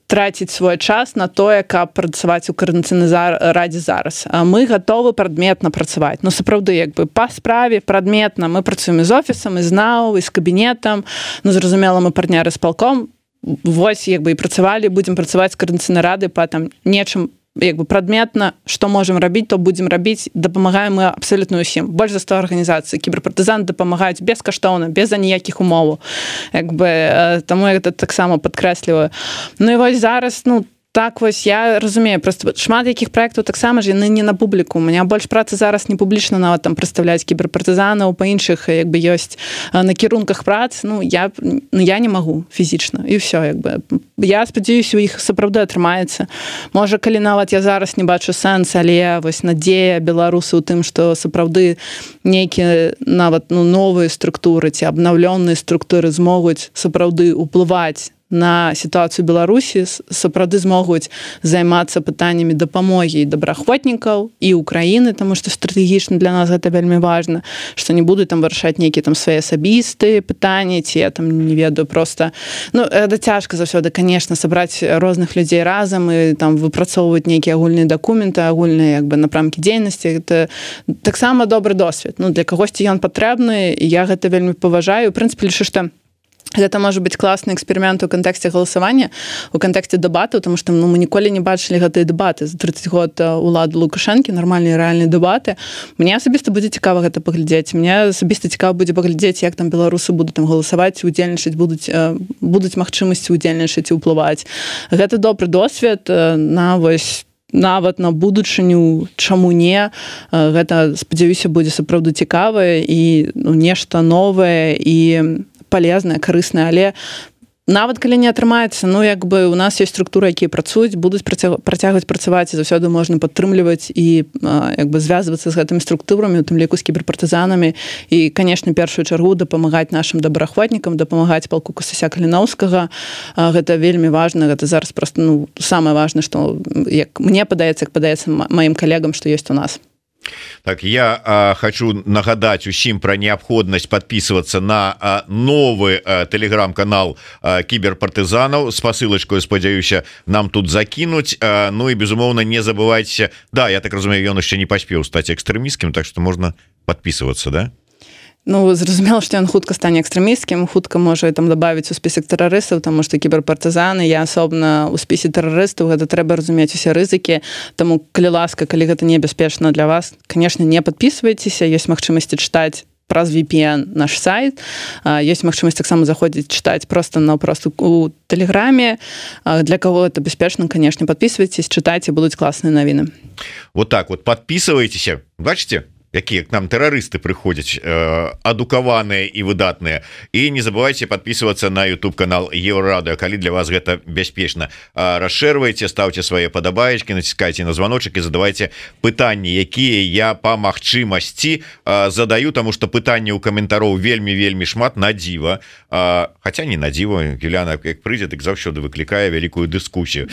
B: траціць свой час на тое, каб працаваць у Координаційнай радзе зараз. Мы гатовы прадметна працаваць. Ну, сапраўды, як бы, па справе прадметна. Мы працуем і з офісам, і з НАУ, і з кабінетам. Ну, зразумела, мы партнеры з палком. Вось, як бы, і працавалі, будзем працаваць з Координаційнай рады па там нечым, як бы, прадметна, што можам рабіць, то будзем рабіць, дапамагаем мы абсалютна ўсім. Больш за 100 арганізацый. Кіберпартызаны дапамагаюць бескаштоўна, без аніякіх умоваў. Як бы, таму я гэта таксама падкрэсліваю. Ну і вось зараз, ну, так вось, я разумею, просто шмат якіх праектаў таксама ж яны не на публіку. У меня больш працы зараз не публічна нават там прадстаўляць кіберпартызанаў, па іншых, як бы, ёсць накірунках прац. Ну, я не магу фізічна. І ўсё, як бы. Я спадзяюся, у іх сапраўды атрымаецца. Можа, калі нават я зараз не бачу сэнс, але вось надзея беларусы ў тым, што сапраўды нейкія нават, ну, новыя структуры ці абнаўлёныя структуры змогуць сапраўды ўплываць на сітуацыю Беларусі, сапраўды змогуць займацца пытаннямі дапамогі і добраахвотнікаў, і Украіны, таму што стратэгічна для нас гэта вельмі важна, што не будуць там вырашаць нейкія там свае асабістыя пытанні, ці я там не ведаю, проста... Ну, гэта цяжка заўсёды, конечно, сабраць розных людзей разам і там выпрацоўваць нейкія агульныя дакументы, агульныя, як бы, напрамкі дзейнасці. Гэта таксама добры досвед. Ну, для кагосьці ён патрэбны, і я гэта вельмі паважаю. У прынцыпе, лічу, што гэта можа быць класны эксперымент у кантэксце галасавання, у кантэксце дэбатаў, тому што, ну, мы ніколі не бачылі гэтыя дэбаты. За 30 год улады Лукашэнкі, нармальныя рэальныя дэбаты. Мне асабіста будзе цікава гэта паглядзець. Мне асабіста цікава будзе паглядзець, як там беларусы будуць там галасаваць, удзельнічаць, будуць магчымасці удзельнічаць і ўплываць. Гэта добры досвед на вось нават на будучыню, чаму не. Гэта, спадзяюся, будзе сапраўды цікавае і, ну, нешта новае і палезнае, карыснае, але нават калі не атрымаецца, ну, як бы, у нас ёсць структуры, якія працуюць, будуць працягваць працаваць, і заўсёды можна падтрымліваць і, як бы, звязвацца з гэтымі структурамі, у тым ліку з кіберпартызанамі, і, канешне, першую чаргу дапамагаць нашым добраахвотнікам, дапамагаць палку Касася Каліноўскага. Гэта вельмі важна, гэта зараз проста, ну, самае важнае, што, як мне падаецца, як падаецца маім калегам, што ёсць у нас.
A: Так, я хочу нагадать усім про необходимость подписываться на новый телеграм-канал киберпартизанов с посылочкой, спадзяюся, нам тут закинуть. Ну и, безумовно, не забывайте, да, я так разумею, он еще не поспел стать экстремистским, так что можно подписываться, да?
B: Ну, зразумела, што ён хутка стане экстрэмісцкім, хутка можа там дабавіць у спісак тэрарыстаў, таму што кіберпартызаны, я асобна ў спісе тэрарыстаў, гэта трэба разумець усе рызыкі, таму, калі ласка, калі гэта небяспечна для вас, канешне, не падпісвайцеся, ёсць магчымасці чытаць праз VPN наш сайт, ёсць магчымасць таксама заходзіць чытаць проста у тэлеграме, для каго это бяспечна, канешне, падпісвайцеся, чытайце, будуць класныя навіны.
A: Вот так вот, подписывайтеся, бачите? Какие к нам террористы приходят, адукаванные и выдатные. И не забывайте подписываться на YouTube канал Еврорадио, коли для вас это беспечно. Расширвайте, ставьте свои подобаечки, натискайте на звоночек и задавайте пытания, какие я по магчымасці задаю, потому что пытания у комментаров вельми шмат на диво. Хотя не на диво, Юліана, как придет, так заўсёды выкликая великую дискуссию.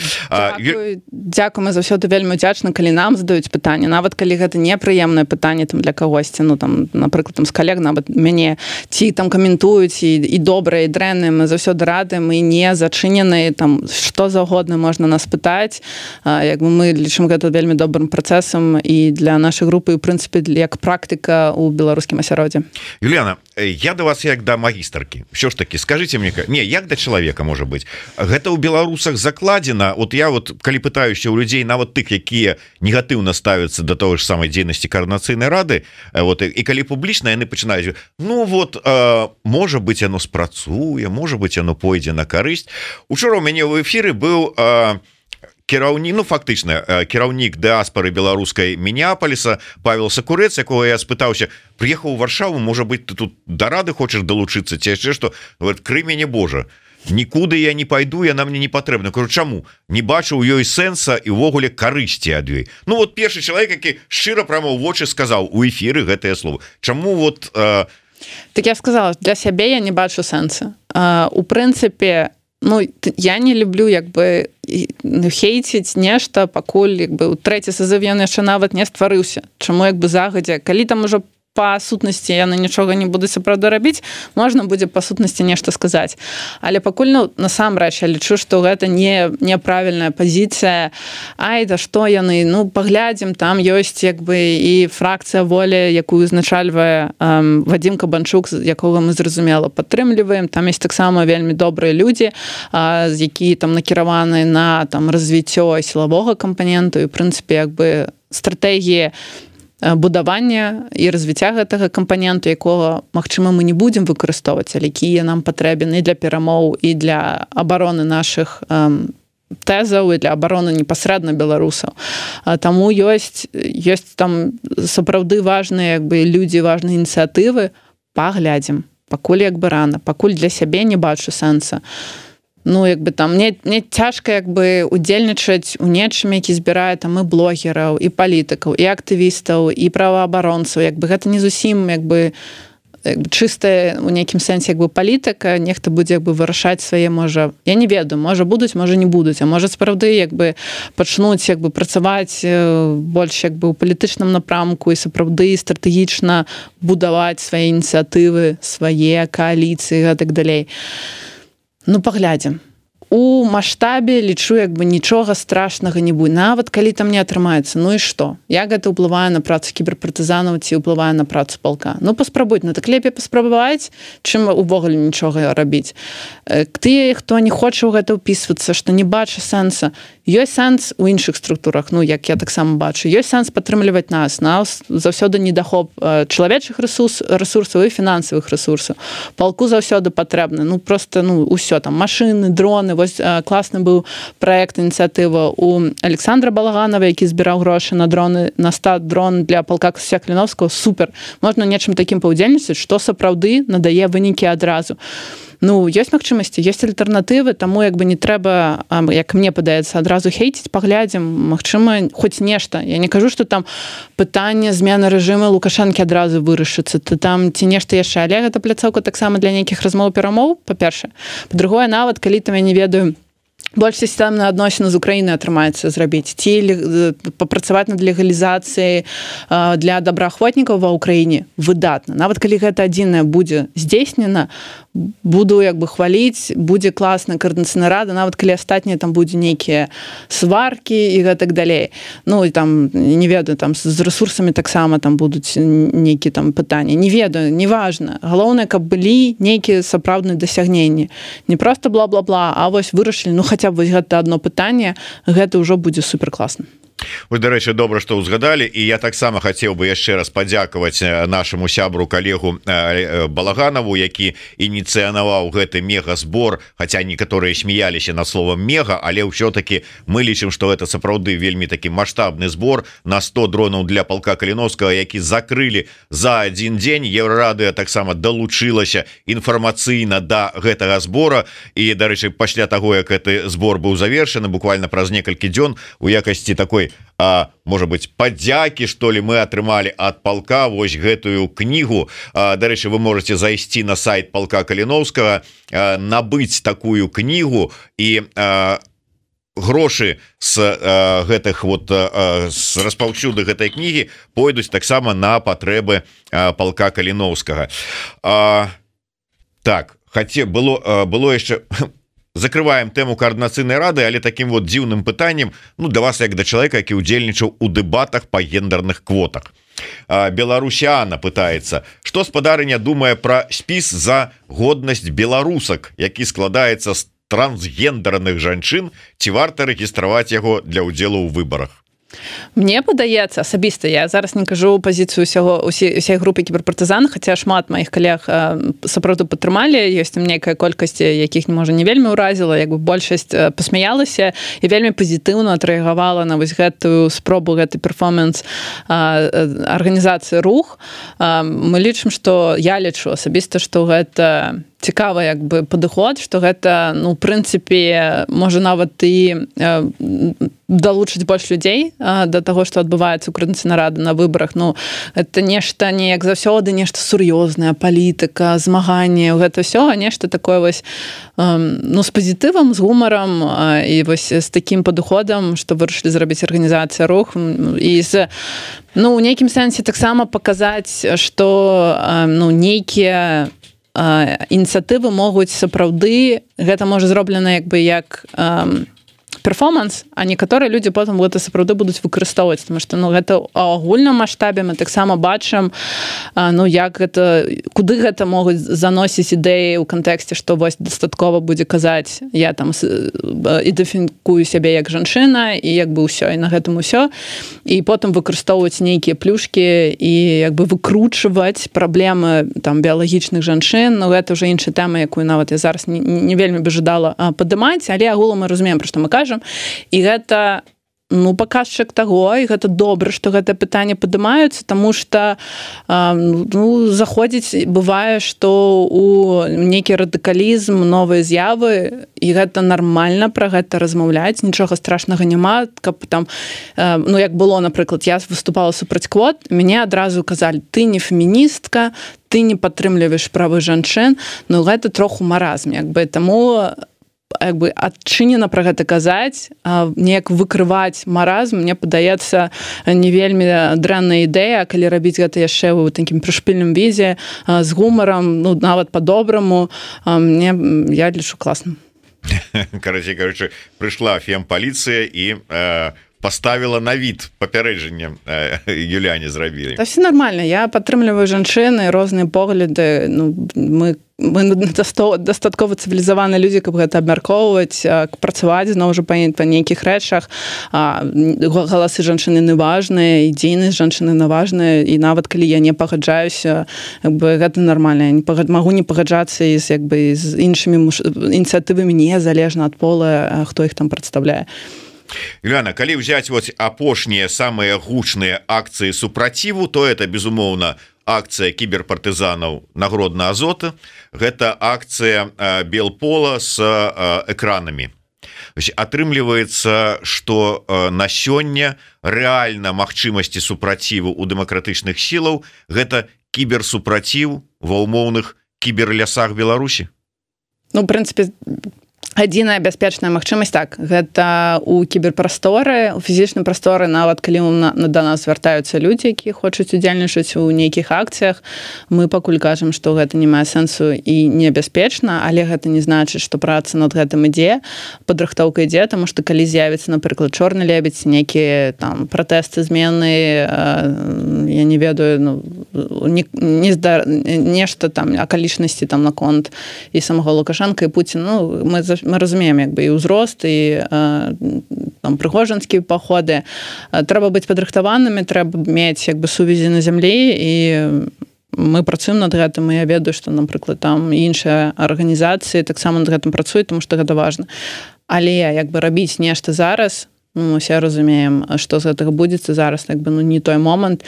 B: Дякую, мы заўсёды вельмі удзячны, калі нам задаюць пытанні, нават калі гэта непрыемнае пытанне там для кагосьці, ну там, напрыклад, там з калег нават мяне ці там каментуюць і добрыя, і дрэнныя, мы заўсёды рады, мы не зачыненыя, там што заўгодна можна нас пытаць, як бы мы лічым гэта вельмі добрым працэсам і для нашай групы, і, ў прынцыпе, як практыка ў беларускім асяроддзі.
A: Юліана, я до вас як да магістаркі. Що ж таки, скажите мне, не, як да чалавека можа быць? Гэта ў беларусах закладзена. Вот я вот, калі пытаюся ў людзей, нават тых, якія негатыўна ставяцца да той ж самай дзейнасці Координаційнай рады, вот, і калі публічна, яны пачынаюць, ну вот, можа быць, яно спрацуе, можа быць, яно пойдзе на карысць. Учора ў мяне ў эфіры быў кіраўнік, ну фактычна кіраўнік дыаспары беларускай Мінеаполіса Павел Сакурэц, якого я спытаўся, прыехаў у Варшаву, можа быць, ты тут да рады хочаш далучыцца ці яшчэ што? Говорит, крый мяне Божа, нікуды я не пайду, яна мне не патрэбна. Кажу, чаму? Не бачу ў ёй сэнса і ўвогуле карысці ад ёй. Ну вот першы чалавек, які шчыра прямо ў вочы сказаў у эфіры гэтае слово. Чаму вот
B: Так я сказала, для сябе я не бачу сэнса. У прынцыпе, ну, я не люблю, як бы, хейціць нешта, пакуль, як бы, у трэці сазыв ён яшчэ нават не стварыўся. Чаму, як бы, загадзя, калі там ужо па сутнасці яны нічога не будуць сапраўды рабіць, можна будзе па сутнасці нешта сказаць. Але пакуль, насамрэч, я лічу, што гэта неправільная пазіцыя. Ай, да што яны, паглядзім, там ёсць як бы і фракцыя воля, якую узначальвае Вадзім Кабанчук, якога мы зразумела падтрымліваем. Там ёсць таксама вельмі добрыя людзі, якія там накіраваны на там развіццё сілавога кампаненту і, ў прынцыпе, як бы стратэгіі будавання і развіцця гэтага кампаненту, якога, магчыма, мы не будзем выкарыстоўваць, але якія нам патрэбен і для перамоў, і для абароны нашых тэзаў, і для абароны непасрэдна беларусаў. Таму ёсць там сапраўды важныя як бы людзі, важныя ініцыятывы. Паглядзім. Пакуль як бы рана. Пакуль для сябе не бачу сэнса. Як бы там мне цяжка як бы удзельнічаць у нечым, які збірае там і блогераў, і палітыкаў, і актывістаў, і праваабаронцаў. Як бы гэта не зусім як бы чыстая у нейкім сэнсе як бы палітыка, нехта будзе як бы вырашаць свае, можа, я не ведаю, можа будуць, можа не будуць, а можа сапраўды як бы пачнуць як бы працаваць больш як бы ў палітычным напрамку і сапраўды стратэгічна будаваць свае ініцыятывы, свае кааліцыі і гэтак далей. Паглядзім. У маштабе лічу, як бы нічога страшнага не будзе. Нават калі там не атрымаецца, і што? Як гэта ўплывае на працу кіберпартызанаў ці ўплывае на працу палка? Паспрабуйте. Так лепей паспрабаваць, чым увогуле нічога рабіць. Тыя, хто не хоча ў гэта ўпісвацца, што не бача сэнса, ёсць сэнс у іншых структурах, як я таксама бачу. Ёсць сэнс падтрымліваць нас. Нас заўсёды недахоп чалавечых рэсурсаў і фінансавых рэсурсаў. Палку заўсёды патрэбна. Просто, усё там, машыны, дроны. Вось класны быў праект, ініцыятыва у Александра Балаганова, які збіраў грошы на дроны, на 100 дрон для палка Касця Кліновскага. Супер. Можна нечым такім паўдзельнічаць, што сапраўды надае вынікі адразу. Ёсць магчымасці, ёсць альтэрнатывы, таму як бы не трэба, як мне падаецца, адразу хейціць, паглядзім, магчыма, хоць нешта. Я не кажу, што там пытанне змены рэжыму Лукашэнкі адразу вырашыцца, там ці нешта яшчэ, але гэта пляцоўка таксама для нейкіх размоў-перамоў, па-першае. Па-другое, нават калі там, я не ведаю, больш сістэмныя адносіны з Украінай атрымаецца зрабіць, ці папрацаваць над легалізацыяй для добраахвотнікаў ва ўкраіне, выдатна. Нават калі гэта адзінае будзе здзейснена, буду як бы хваліць, будзе класная каардынацыйная рада, нават калі астатнія там будзе нейкія сваркі і гэтак далей. І там, не ведаю, там з рэсурсамі таксама там будуць нейкія там пытанні. Не ведаю, неважна. Галоўнае, каб былі нейкія сапраўдныя дасягненні. Не проста бла-бла-бла, а вось вырашылі, хаця б вось гэта адно пытанне, гэта ўжо будзе суперкласна.
A: Вы, дарэчы, добра, што ўзгадалі, і я таксама хацеў бы яшчэ раз падзякаваць нашаму сябру, калегу Балаганаву, які ініцыянаваў гэты мегазбор, хаця некаторыя смяяліся над словам мега, але ўсё-таки мы лічым, што гэта сапраўды вельмі такі маштабны збор на 100 дронаў для палка Каліновскага, які закрылі за адзін дзень. Еўрарадыё таксама далучылася інфармацыйна да гэтага збора, і, дарэчы, пасля таго, як гэты збор быў завершаны, буквально праз некалькі дзён у якасці такой можа быть падзякі, што ли, мы атрымалі ад палка вось гэтую кнігу. Дарэчы, вы можете зайсці на сайт палка Каліновскага, набыць такую кнігу, і грошы з гэтых вот з распаўсюду гэтай кнігі пойдуць таксама на патрэбы палка Каліновскага. Так, было яшчэ... Закрываем тэму каардынацыйнай рады, але таким вот дзіўным пытаннем, да вас як да чалавека, які удзельнічаў у дэбатах па гендерных квотах. Беларусяна пытаецца, што спадарыня думае пра спіс за годнасць беларусак, які складаецца з трансгендерных жанчын, ці варта рэгістраваць яго для ўдзелу ў выбарах?
B: Мне падаецца, асабіста, я зараз не кажу пазіцыю ўсяй групы кіберпартызан, хаця шмат маіх калег сапраўды падтрымалі, ёсць там нейкая колькасць, якіх, можа, не вельмі ўразіла, як бы большасць пасмяялася і вельмі пазітыўна адрэагавала на вось гэтую спробу, гэты перформанс арганізацыі рух. Мы лічым, што я лічу асабіста, што гэта цікавы як бы падыход, што гэта ну прынцыпе можа нават і далучыць больш людзей да таго, што адбываецца ў Коордынацыйнай рады на выбарах. Ну это нешта не як заўсёды нешта сур'ёзнае, палітыка, змаганне, гэта ўсё, а нешта такое вось ну з пазітывам, з гумарам і вось з такім падыходам, што вырашылі зрабіць арганізацыя рух і з ну у нейкім сэнсе таксама паказаць, што ну нейкія ініцыятывы могуць сапраўды гэта можа зроблена як бы як перформанс, а некаторыя людзі потым гэта сапраўды будуць выкарыстоўваць, тому што ну гэта ў агульным маштабе мы таксама бачым ну як гэта куды гэта могуць заносіць ідэі ў кантэксце, што вось дастаткова будзе казаць я там ідэнтыфікую сябе як жанчына і як бы ўсё і на гэтым усё і потым выкарыстоўваць нейкія плюшкі і як бы выкручваць праблемы там біялагічных жанчын, ну гэта ўжо іншая тэма, якую нават я зараз не вельмі бы жадала падымаць, але агулам мы разумеем, пра што мы кажам. І гэта ну паказчык таго, і гэта добра, што гэтае пытанне падымаюцца, таму што ну заходзіць бывае, што у нейкі радыкалізм, новыя з'явы, і гэта нармальна пра гэта размаўляць, нічога страшнага няма, каб там ну як было, напрыклад, я выступала супраць квот, мяне адразу казалі: ты не феміністка, ты не падтрымліваеш правы жанчын, ну гэта троху маразм, як бы таму як бы адчынена пра гэта казаць, неяк выкрываць маразм, мне падаецца не вельмі дрэнная ідэя, калі рабіць гэта яшчэ ў такім прышпільным візе з гумарам, ну нават па-добраму, я лічу класна.
A: Короче, прыйшла фемпаліцыя і поставила на вид папярэджанне Юляне зрабілі.
B: Та все нормально, я падтрымліваю жанчыны, розныя погляды, ну мы дастаткова цывілізаваныя людзі, каб гэта абмяркоўваць, працаваць зноў жа па нейкіх рэчах. Галасы жанчыны не важныя, ідзейнасць жанчыны не важная, і нават калі я не пагаджаюся, гэта нармальна. Я магу не пагаджацца з іншымі ініцыятывамі незалежна ад пола, хто іх там прадстаўляе.
A: Юляна, калі ўзяць вот апошнія самыя гучныя акцыі супраціву, то это безумоўна акцыя кіберпартызанаў нагродна Азота, гэта акцыя Белпола с экранамі. Атрымліваецца, што на сёння рэальна магчымасці супраціву ў дэмакратычных сілаў гэта кіберсупраціў ва ўмоўных кіберлясах Беларусі.
B: Ну, у прынцыпе, адзіная бяспечная магчымасць так, гэта ў кіберпрасторы, у фізічным прасторы, нават калі да нас звяртаюцца людзі, якія хочуць удзельнічаць у нейкіх акцыях, мы пакуль кажам, што гэта не мае сэнсу і небяспечна, але гэта не значыць, што праца над гэтым ідзе, падрыхтоўка ідзе, таму што калі з'явіцца, напрыклад, чорны лебедзь, нейкія там пратэсты, змены, я не ведаю, ну, нешта там акалічнасці там наконт і самого Лукашенка і Пуціна, ну, мы разумеем як бы і ўзрост, і там прыгожанскія паходы. Трэба быць падрыхтаванымі, трэба мець як бы сувязі на зямлі, і мы працуем над гэтым, і я ведаю, што, напрыклад, там іншыя арганізацыі таксама над гэтым працуюць, тому што гэта важна. Але як бы рабіць нешта зараз, ну, мы ўсе разумеем, што з гэтага будзецца зараз, як бы ну не той момант.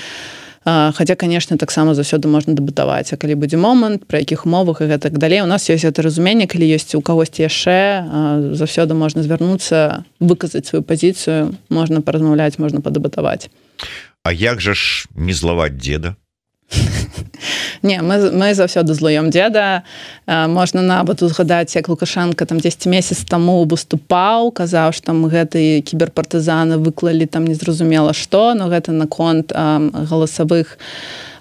B: Хаця, конечно, таксама заўсёды можна дэбатаваць, а калі будзе момант, пры якіх умовах і гэтак далей. У нас ёсць гэта разуменне, калі ёсць у кагосьці яшчэ, заўсёды можна звярнуцца, выказаць сваю пазіцыю, можна паразмаўляць, можна падэбатаваць.
A: А як жа ж не злаваць дзеда?
B: Не, мы заўсёды злуем дзеда. Можна нават узгадаць, як Лукашенко там 10 месяц таму выступаў, казаў, што там гэты кіберпартызаны выклалі там незразумела што, но гэта наконт галасавых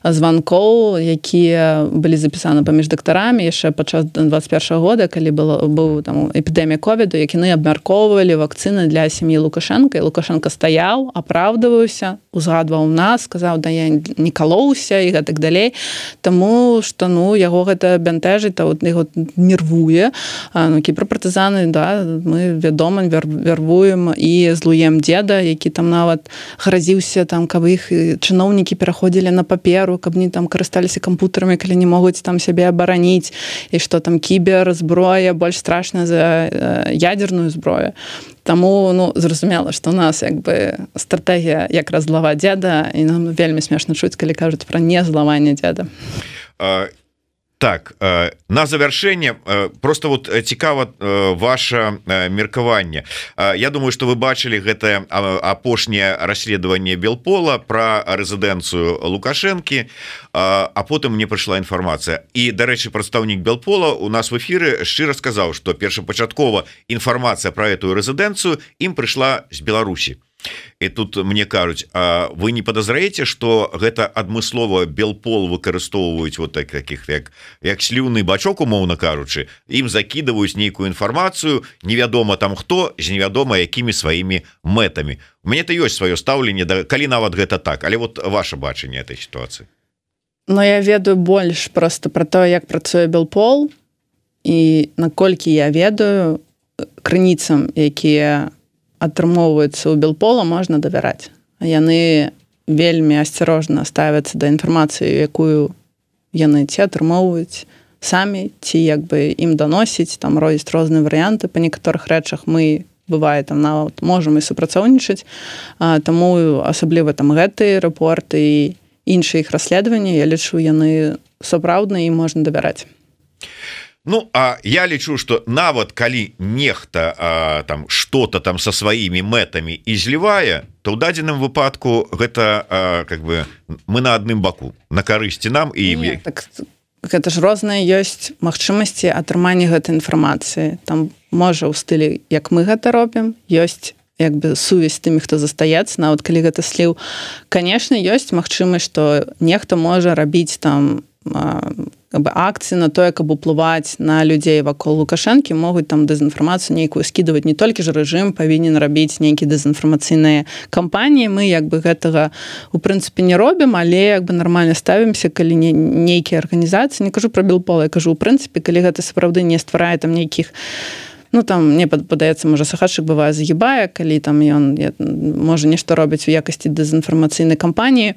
B: званкоў, якія былі запісаны паміж дактарамі яшчэ падчас 21 года, калі быў там эпідэмія ковіду, як яны абмяркоўвалі вакцыны для сям'і Лукашенка, і Лукашенко стаяў, апраўдваўся, узгадваў нас, сказаў, да я не калоўся і гэтак далей, таму што ну яго гэта бянтэжыць, яго нервуе. Ну, кіберпартызаны, да, мы вядома вярвуем і злуем дзеда, які там нават гразіўся там, каб іх чыноўнікі пераходзілі на паперу, каб не там карысталіся кампутарамі, калі не могуць там сябе абараніць, і што там кіберзброя больш страшная за ядерную зброю. Таму, ну, зразумела, што у нас як бы стратэгія якраз злаваць дзеда, і нам вельмі смешна чуць, калі кажуць пра незлаванне дзеда.
A: Так, на завяршэнне просто вот цікава ваше меркаванне. Я думаю, что вы бачылі гэта апошняе расследаванне Белпола про рэзідэнцыю Лукашэнкі, а потым мне прыйшла інфармацыя. І, дарэчы, прадстаўнік Белпола у нас в эфіры шчыра сказаў, што першапачаткова інфармацыя про эту рэзідэнцыю ім прыйшла з Беларусі. І тут мне кажуць, а вы не падазраеце, што гэта адмыслова Белпол выкарыстоўваюць вот таких як сліўны бачок, умоўна кажучы, ім закідваюць нейкую інфармацыю, невядома там хто, з невядома якімі сваімі мэтамі. У мяне-то ёсць сваё стаўленне, калі нават гэта так, але вот ваше бачанне этой сітуацыі.
B: Но я ведаю больш просто про то, як працуе Белпол, і наколькі я ведаю, крыніцам, якія атрымоўваецца ў Белпола, можна давяраць. Яны вельмі асцярожна ставяцца да інфармацыі, якую яны ці атрымоўваюць самі, ці як бы ім даносіць, там робяць розныя варыянты. Па некаторых рэчах мы, бывае, там нават можам і супрацоўнічаць, таму асабліва там гэтыя рэпорты і іншыя іх расследаванні, я лічу, яны сапраўдныя і можна давяраць.
A: Ну, а я лічу, что нават калі нехта там что-то там со сваімі мэтамі і злівае, то ў дадзеным выпадку гэта как бы мы на адным баку, на карысці нам і...
B: Не, так, гэта ж розныя ёсць магчымасці атрымання гэтай інфармацыі. Там можа ў стылі, як мы гэта робім, ёсць як бы сувязь з тымі, хто застаецца, нават калі гэта сліў. Канешне, ёсць магчымасць, што нехта можа рабіць там акцыі на тое, каб уплываць на людзей вакол Лукашэнкі, могуць там дэзінфармацыю нейкую скідываць. Не толькі ж рэжым павінен рабіць нейкія дэзінфармацыйныя кампаніі. Мы як бы гэтага у прынцыпе не робім, але як бы нармальна ставімся, калі нейкія арганізацыі, не кажу про Белпол, я кажу у прынцыпе, калі гэта сапраўды не стварае там нейкіх, ну там мне падаецца, можа сахатчык бывае загібае, калі там ён можа нешта робіць у якасці дэзінфармацыйнай кампаніі,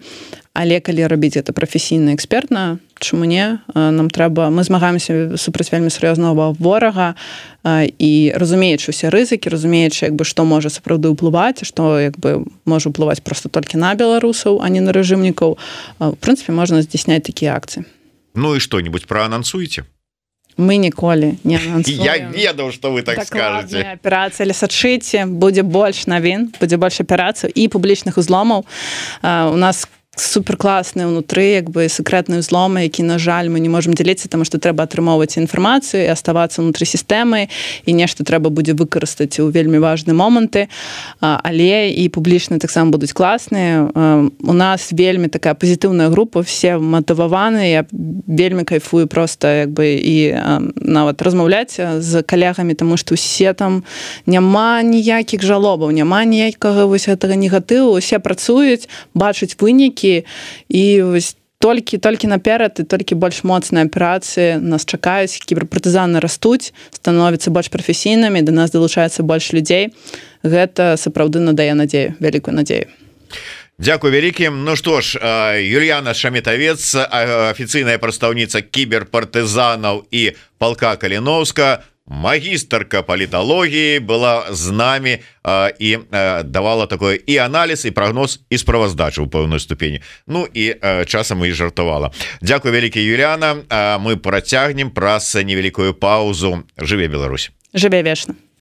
B: але калі рабіць гэта прафесійна, экспертна, чаму не? Нам трэба, мы змагаемся супраць вельмі сур'ёзнага ворага і разумеючы ўсе рызыкі, разумеючы, як бы, што можа сапраўды ўплываць, што як бы можа ўплываць проста толькі на беларусаў, а не на рэжымнікаў. В прынцыпе, можна здзяйсняць такія акцыі.
A: Ну і што-нибудь праанансуеце?
B: Мы ніколі не анансуем.
A: Я ведаў, што вы так скажаце.
B: Дакладная аперацыя, але сачыце, будзе больш навін, будзе больш аперацый і публічных узломаў. У нас суперкласныя ўнутры, як бы секрэтныя ўзломы, які, на жаль, мы не можам дзяліцца, таму што трэба атрымоўваць інфармацыю і аставацца ўнутры сістэмы, і нешта трэба будзе выкарыстаць у вельмі важныя моманты, але і публічныя таксама будуць класныя. У нас вельмі такая пазітыўная група, все матываваныя, я вельмі кайфую проста як бы і нават размаўляць з калегамі, таму што ўсе там няма ніякіх жалобаў, няма ніякага вось гэтага негатыву, усе працуюць, бачаць вынікі, і вось толькі наперад і толькі больш моцныя аперацыі нас чакаюць, кіберпартызаны растуць, становяцца больш прафесійнымі, да нас далучаецца больш людзей. Гэта сапраўды надае надзею, вялікую надзею.
A: Дзякуй вялікім. Ну што ж, Юліяна Шаметавец, афіцыйная прадстаўніца кіберпартызанаў і палка Каліноўска, магістарка паліталогіі, была з намі і давала такой і аналіз, і прагноз, і справаздачу ў пэўной ступені. Ну і часам і жартавала. Дзякуй вялікі, Юліяна. Мы працягнем праз невялікую паузу. Жыве Беларусь.
B: Жыве вечна.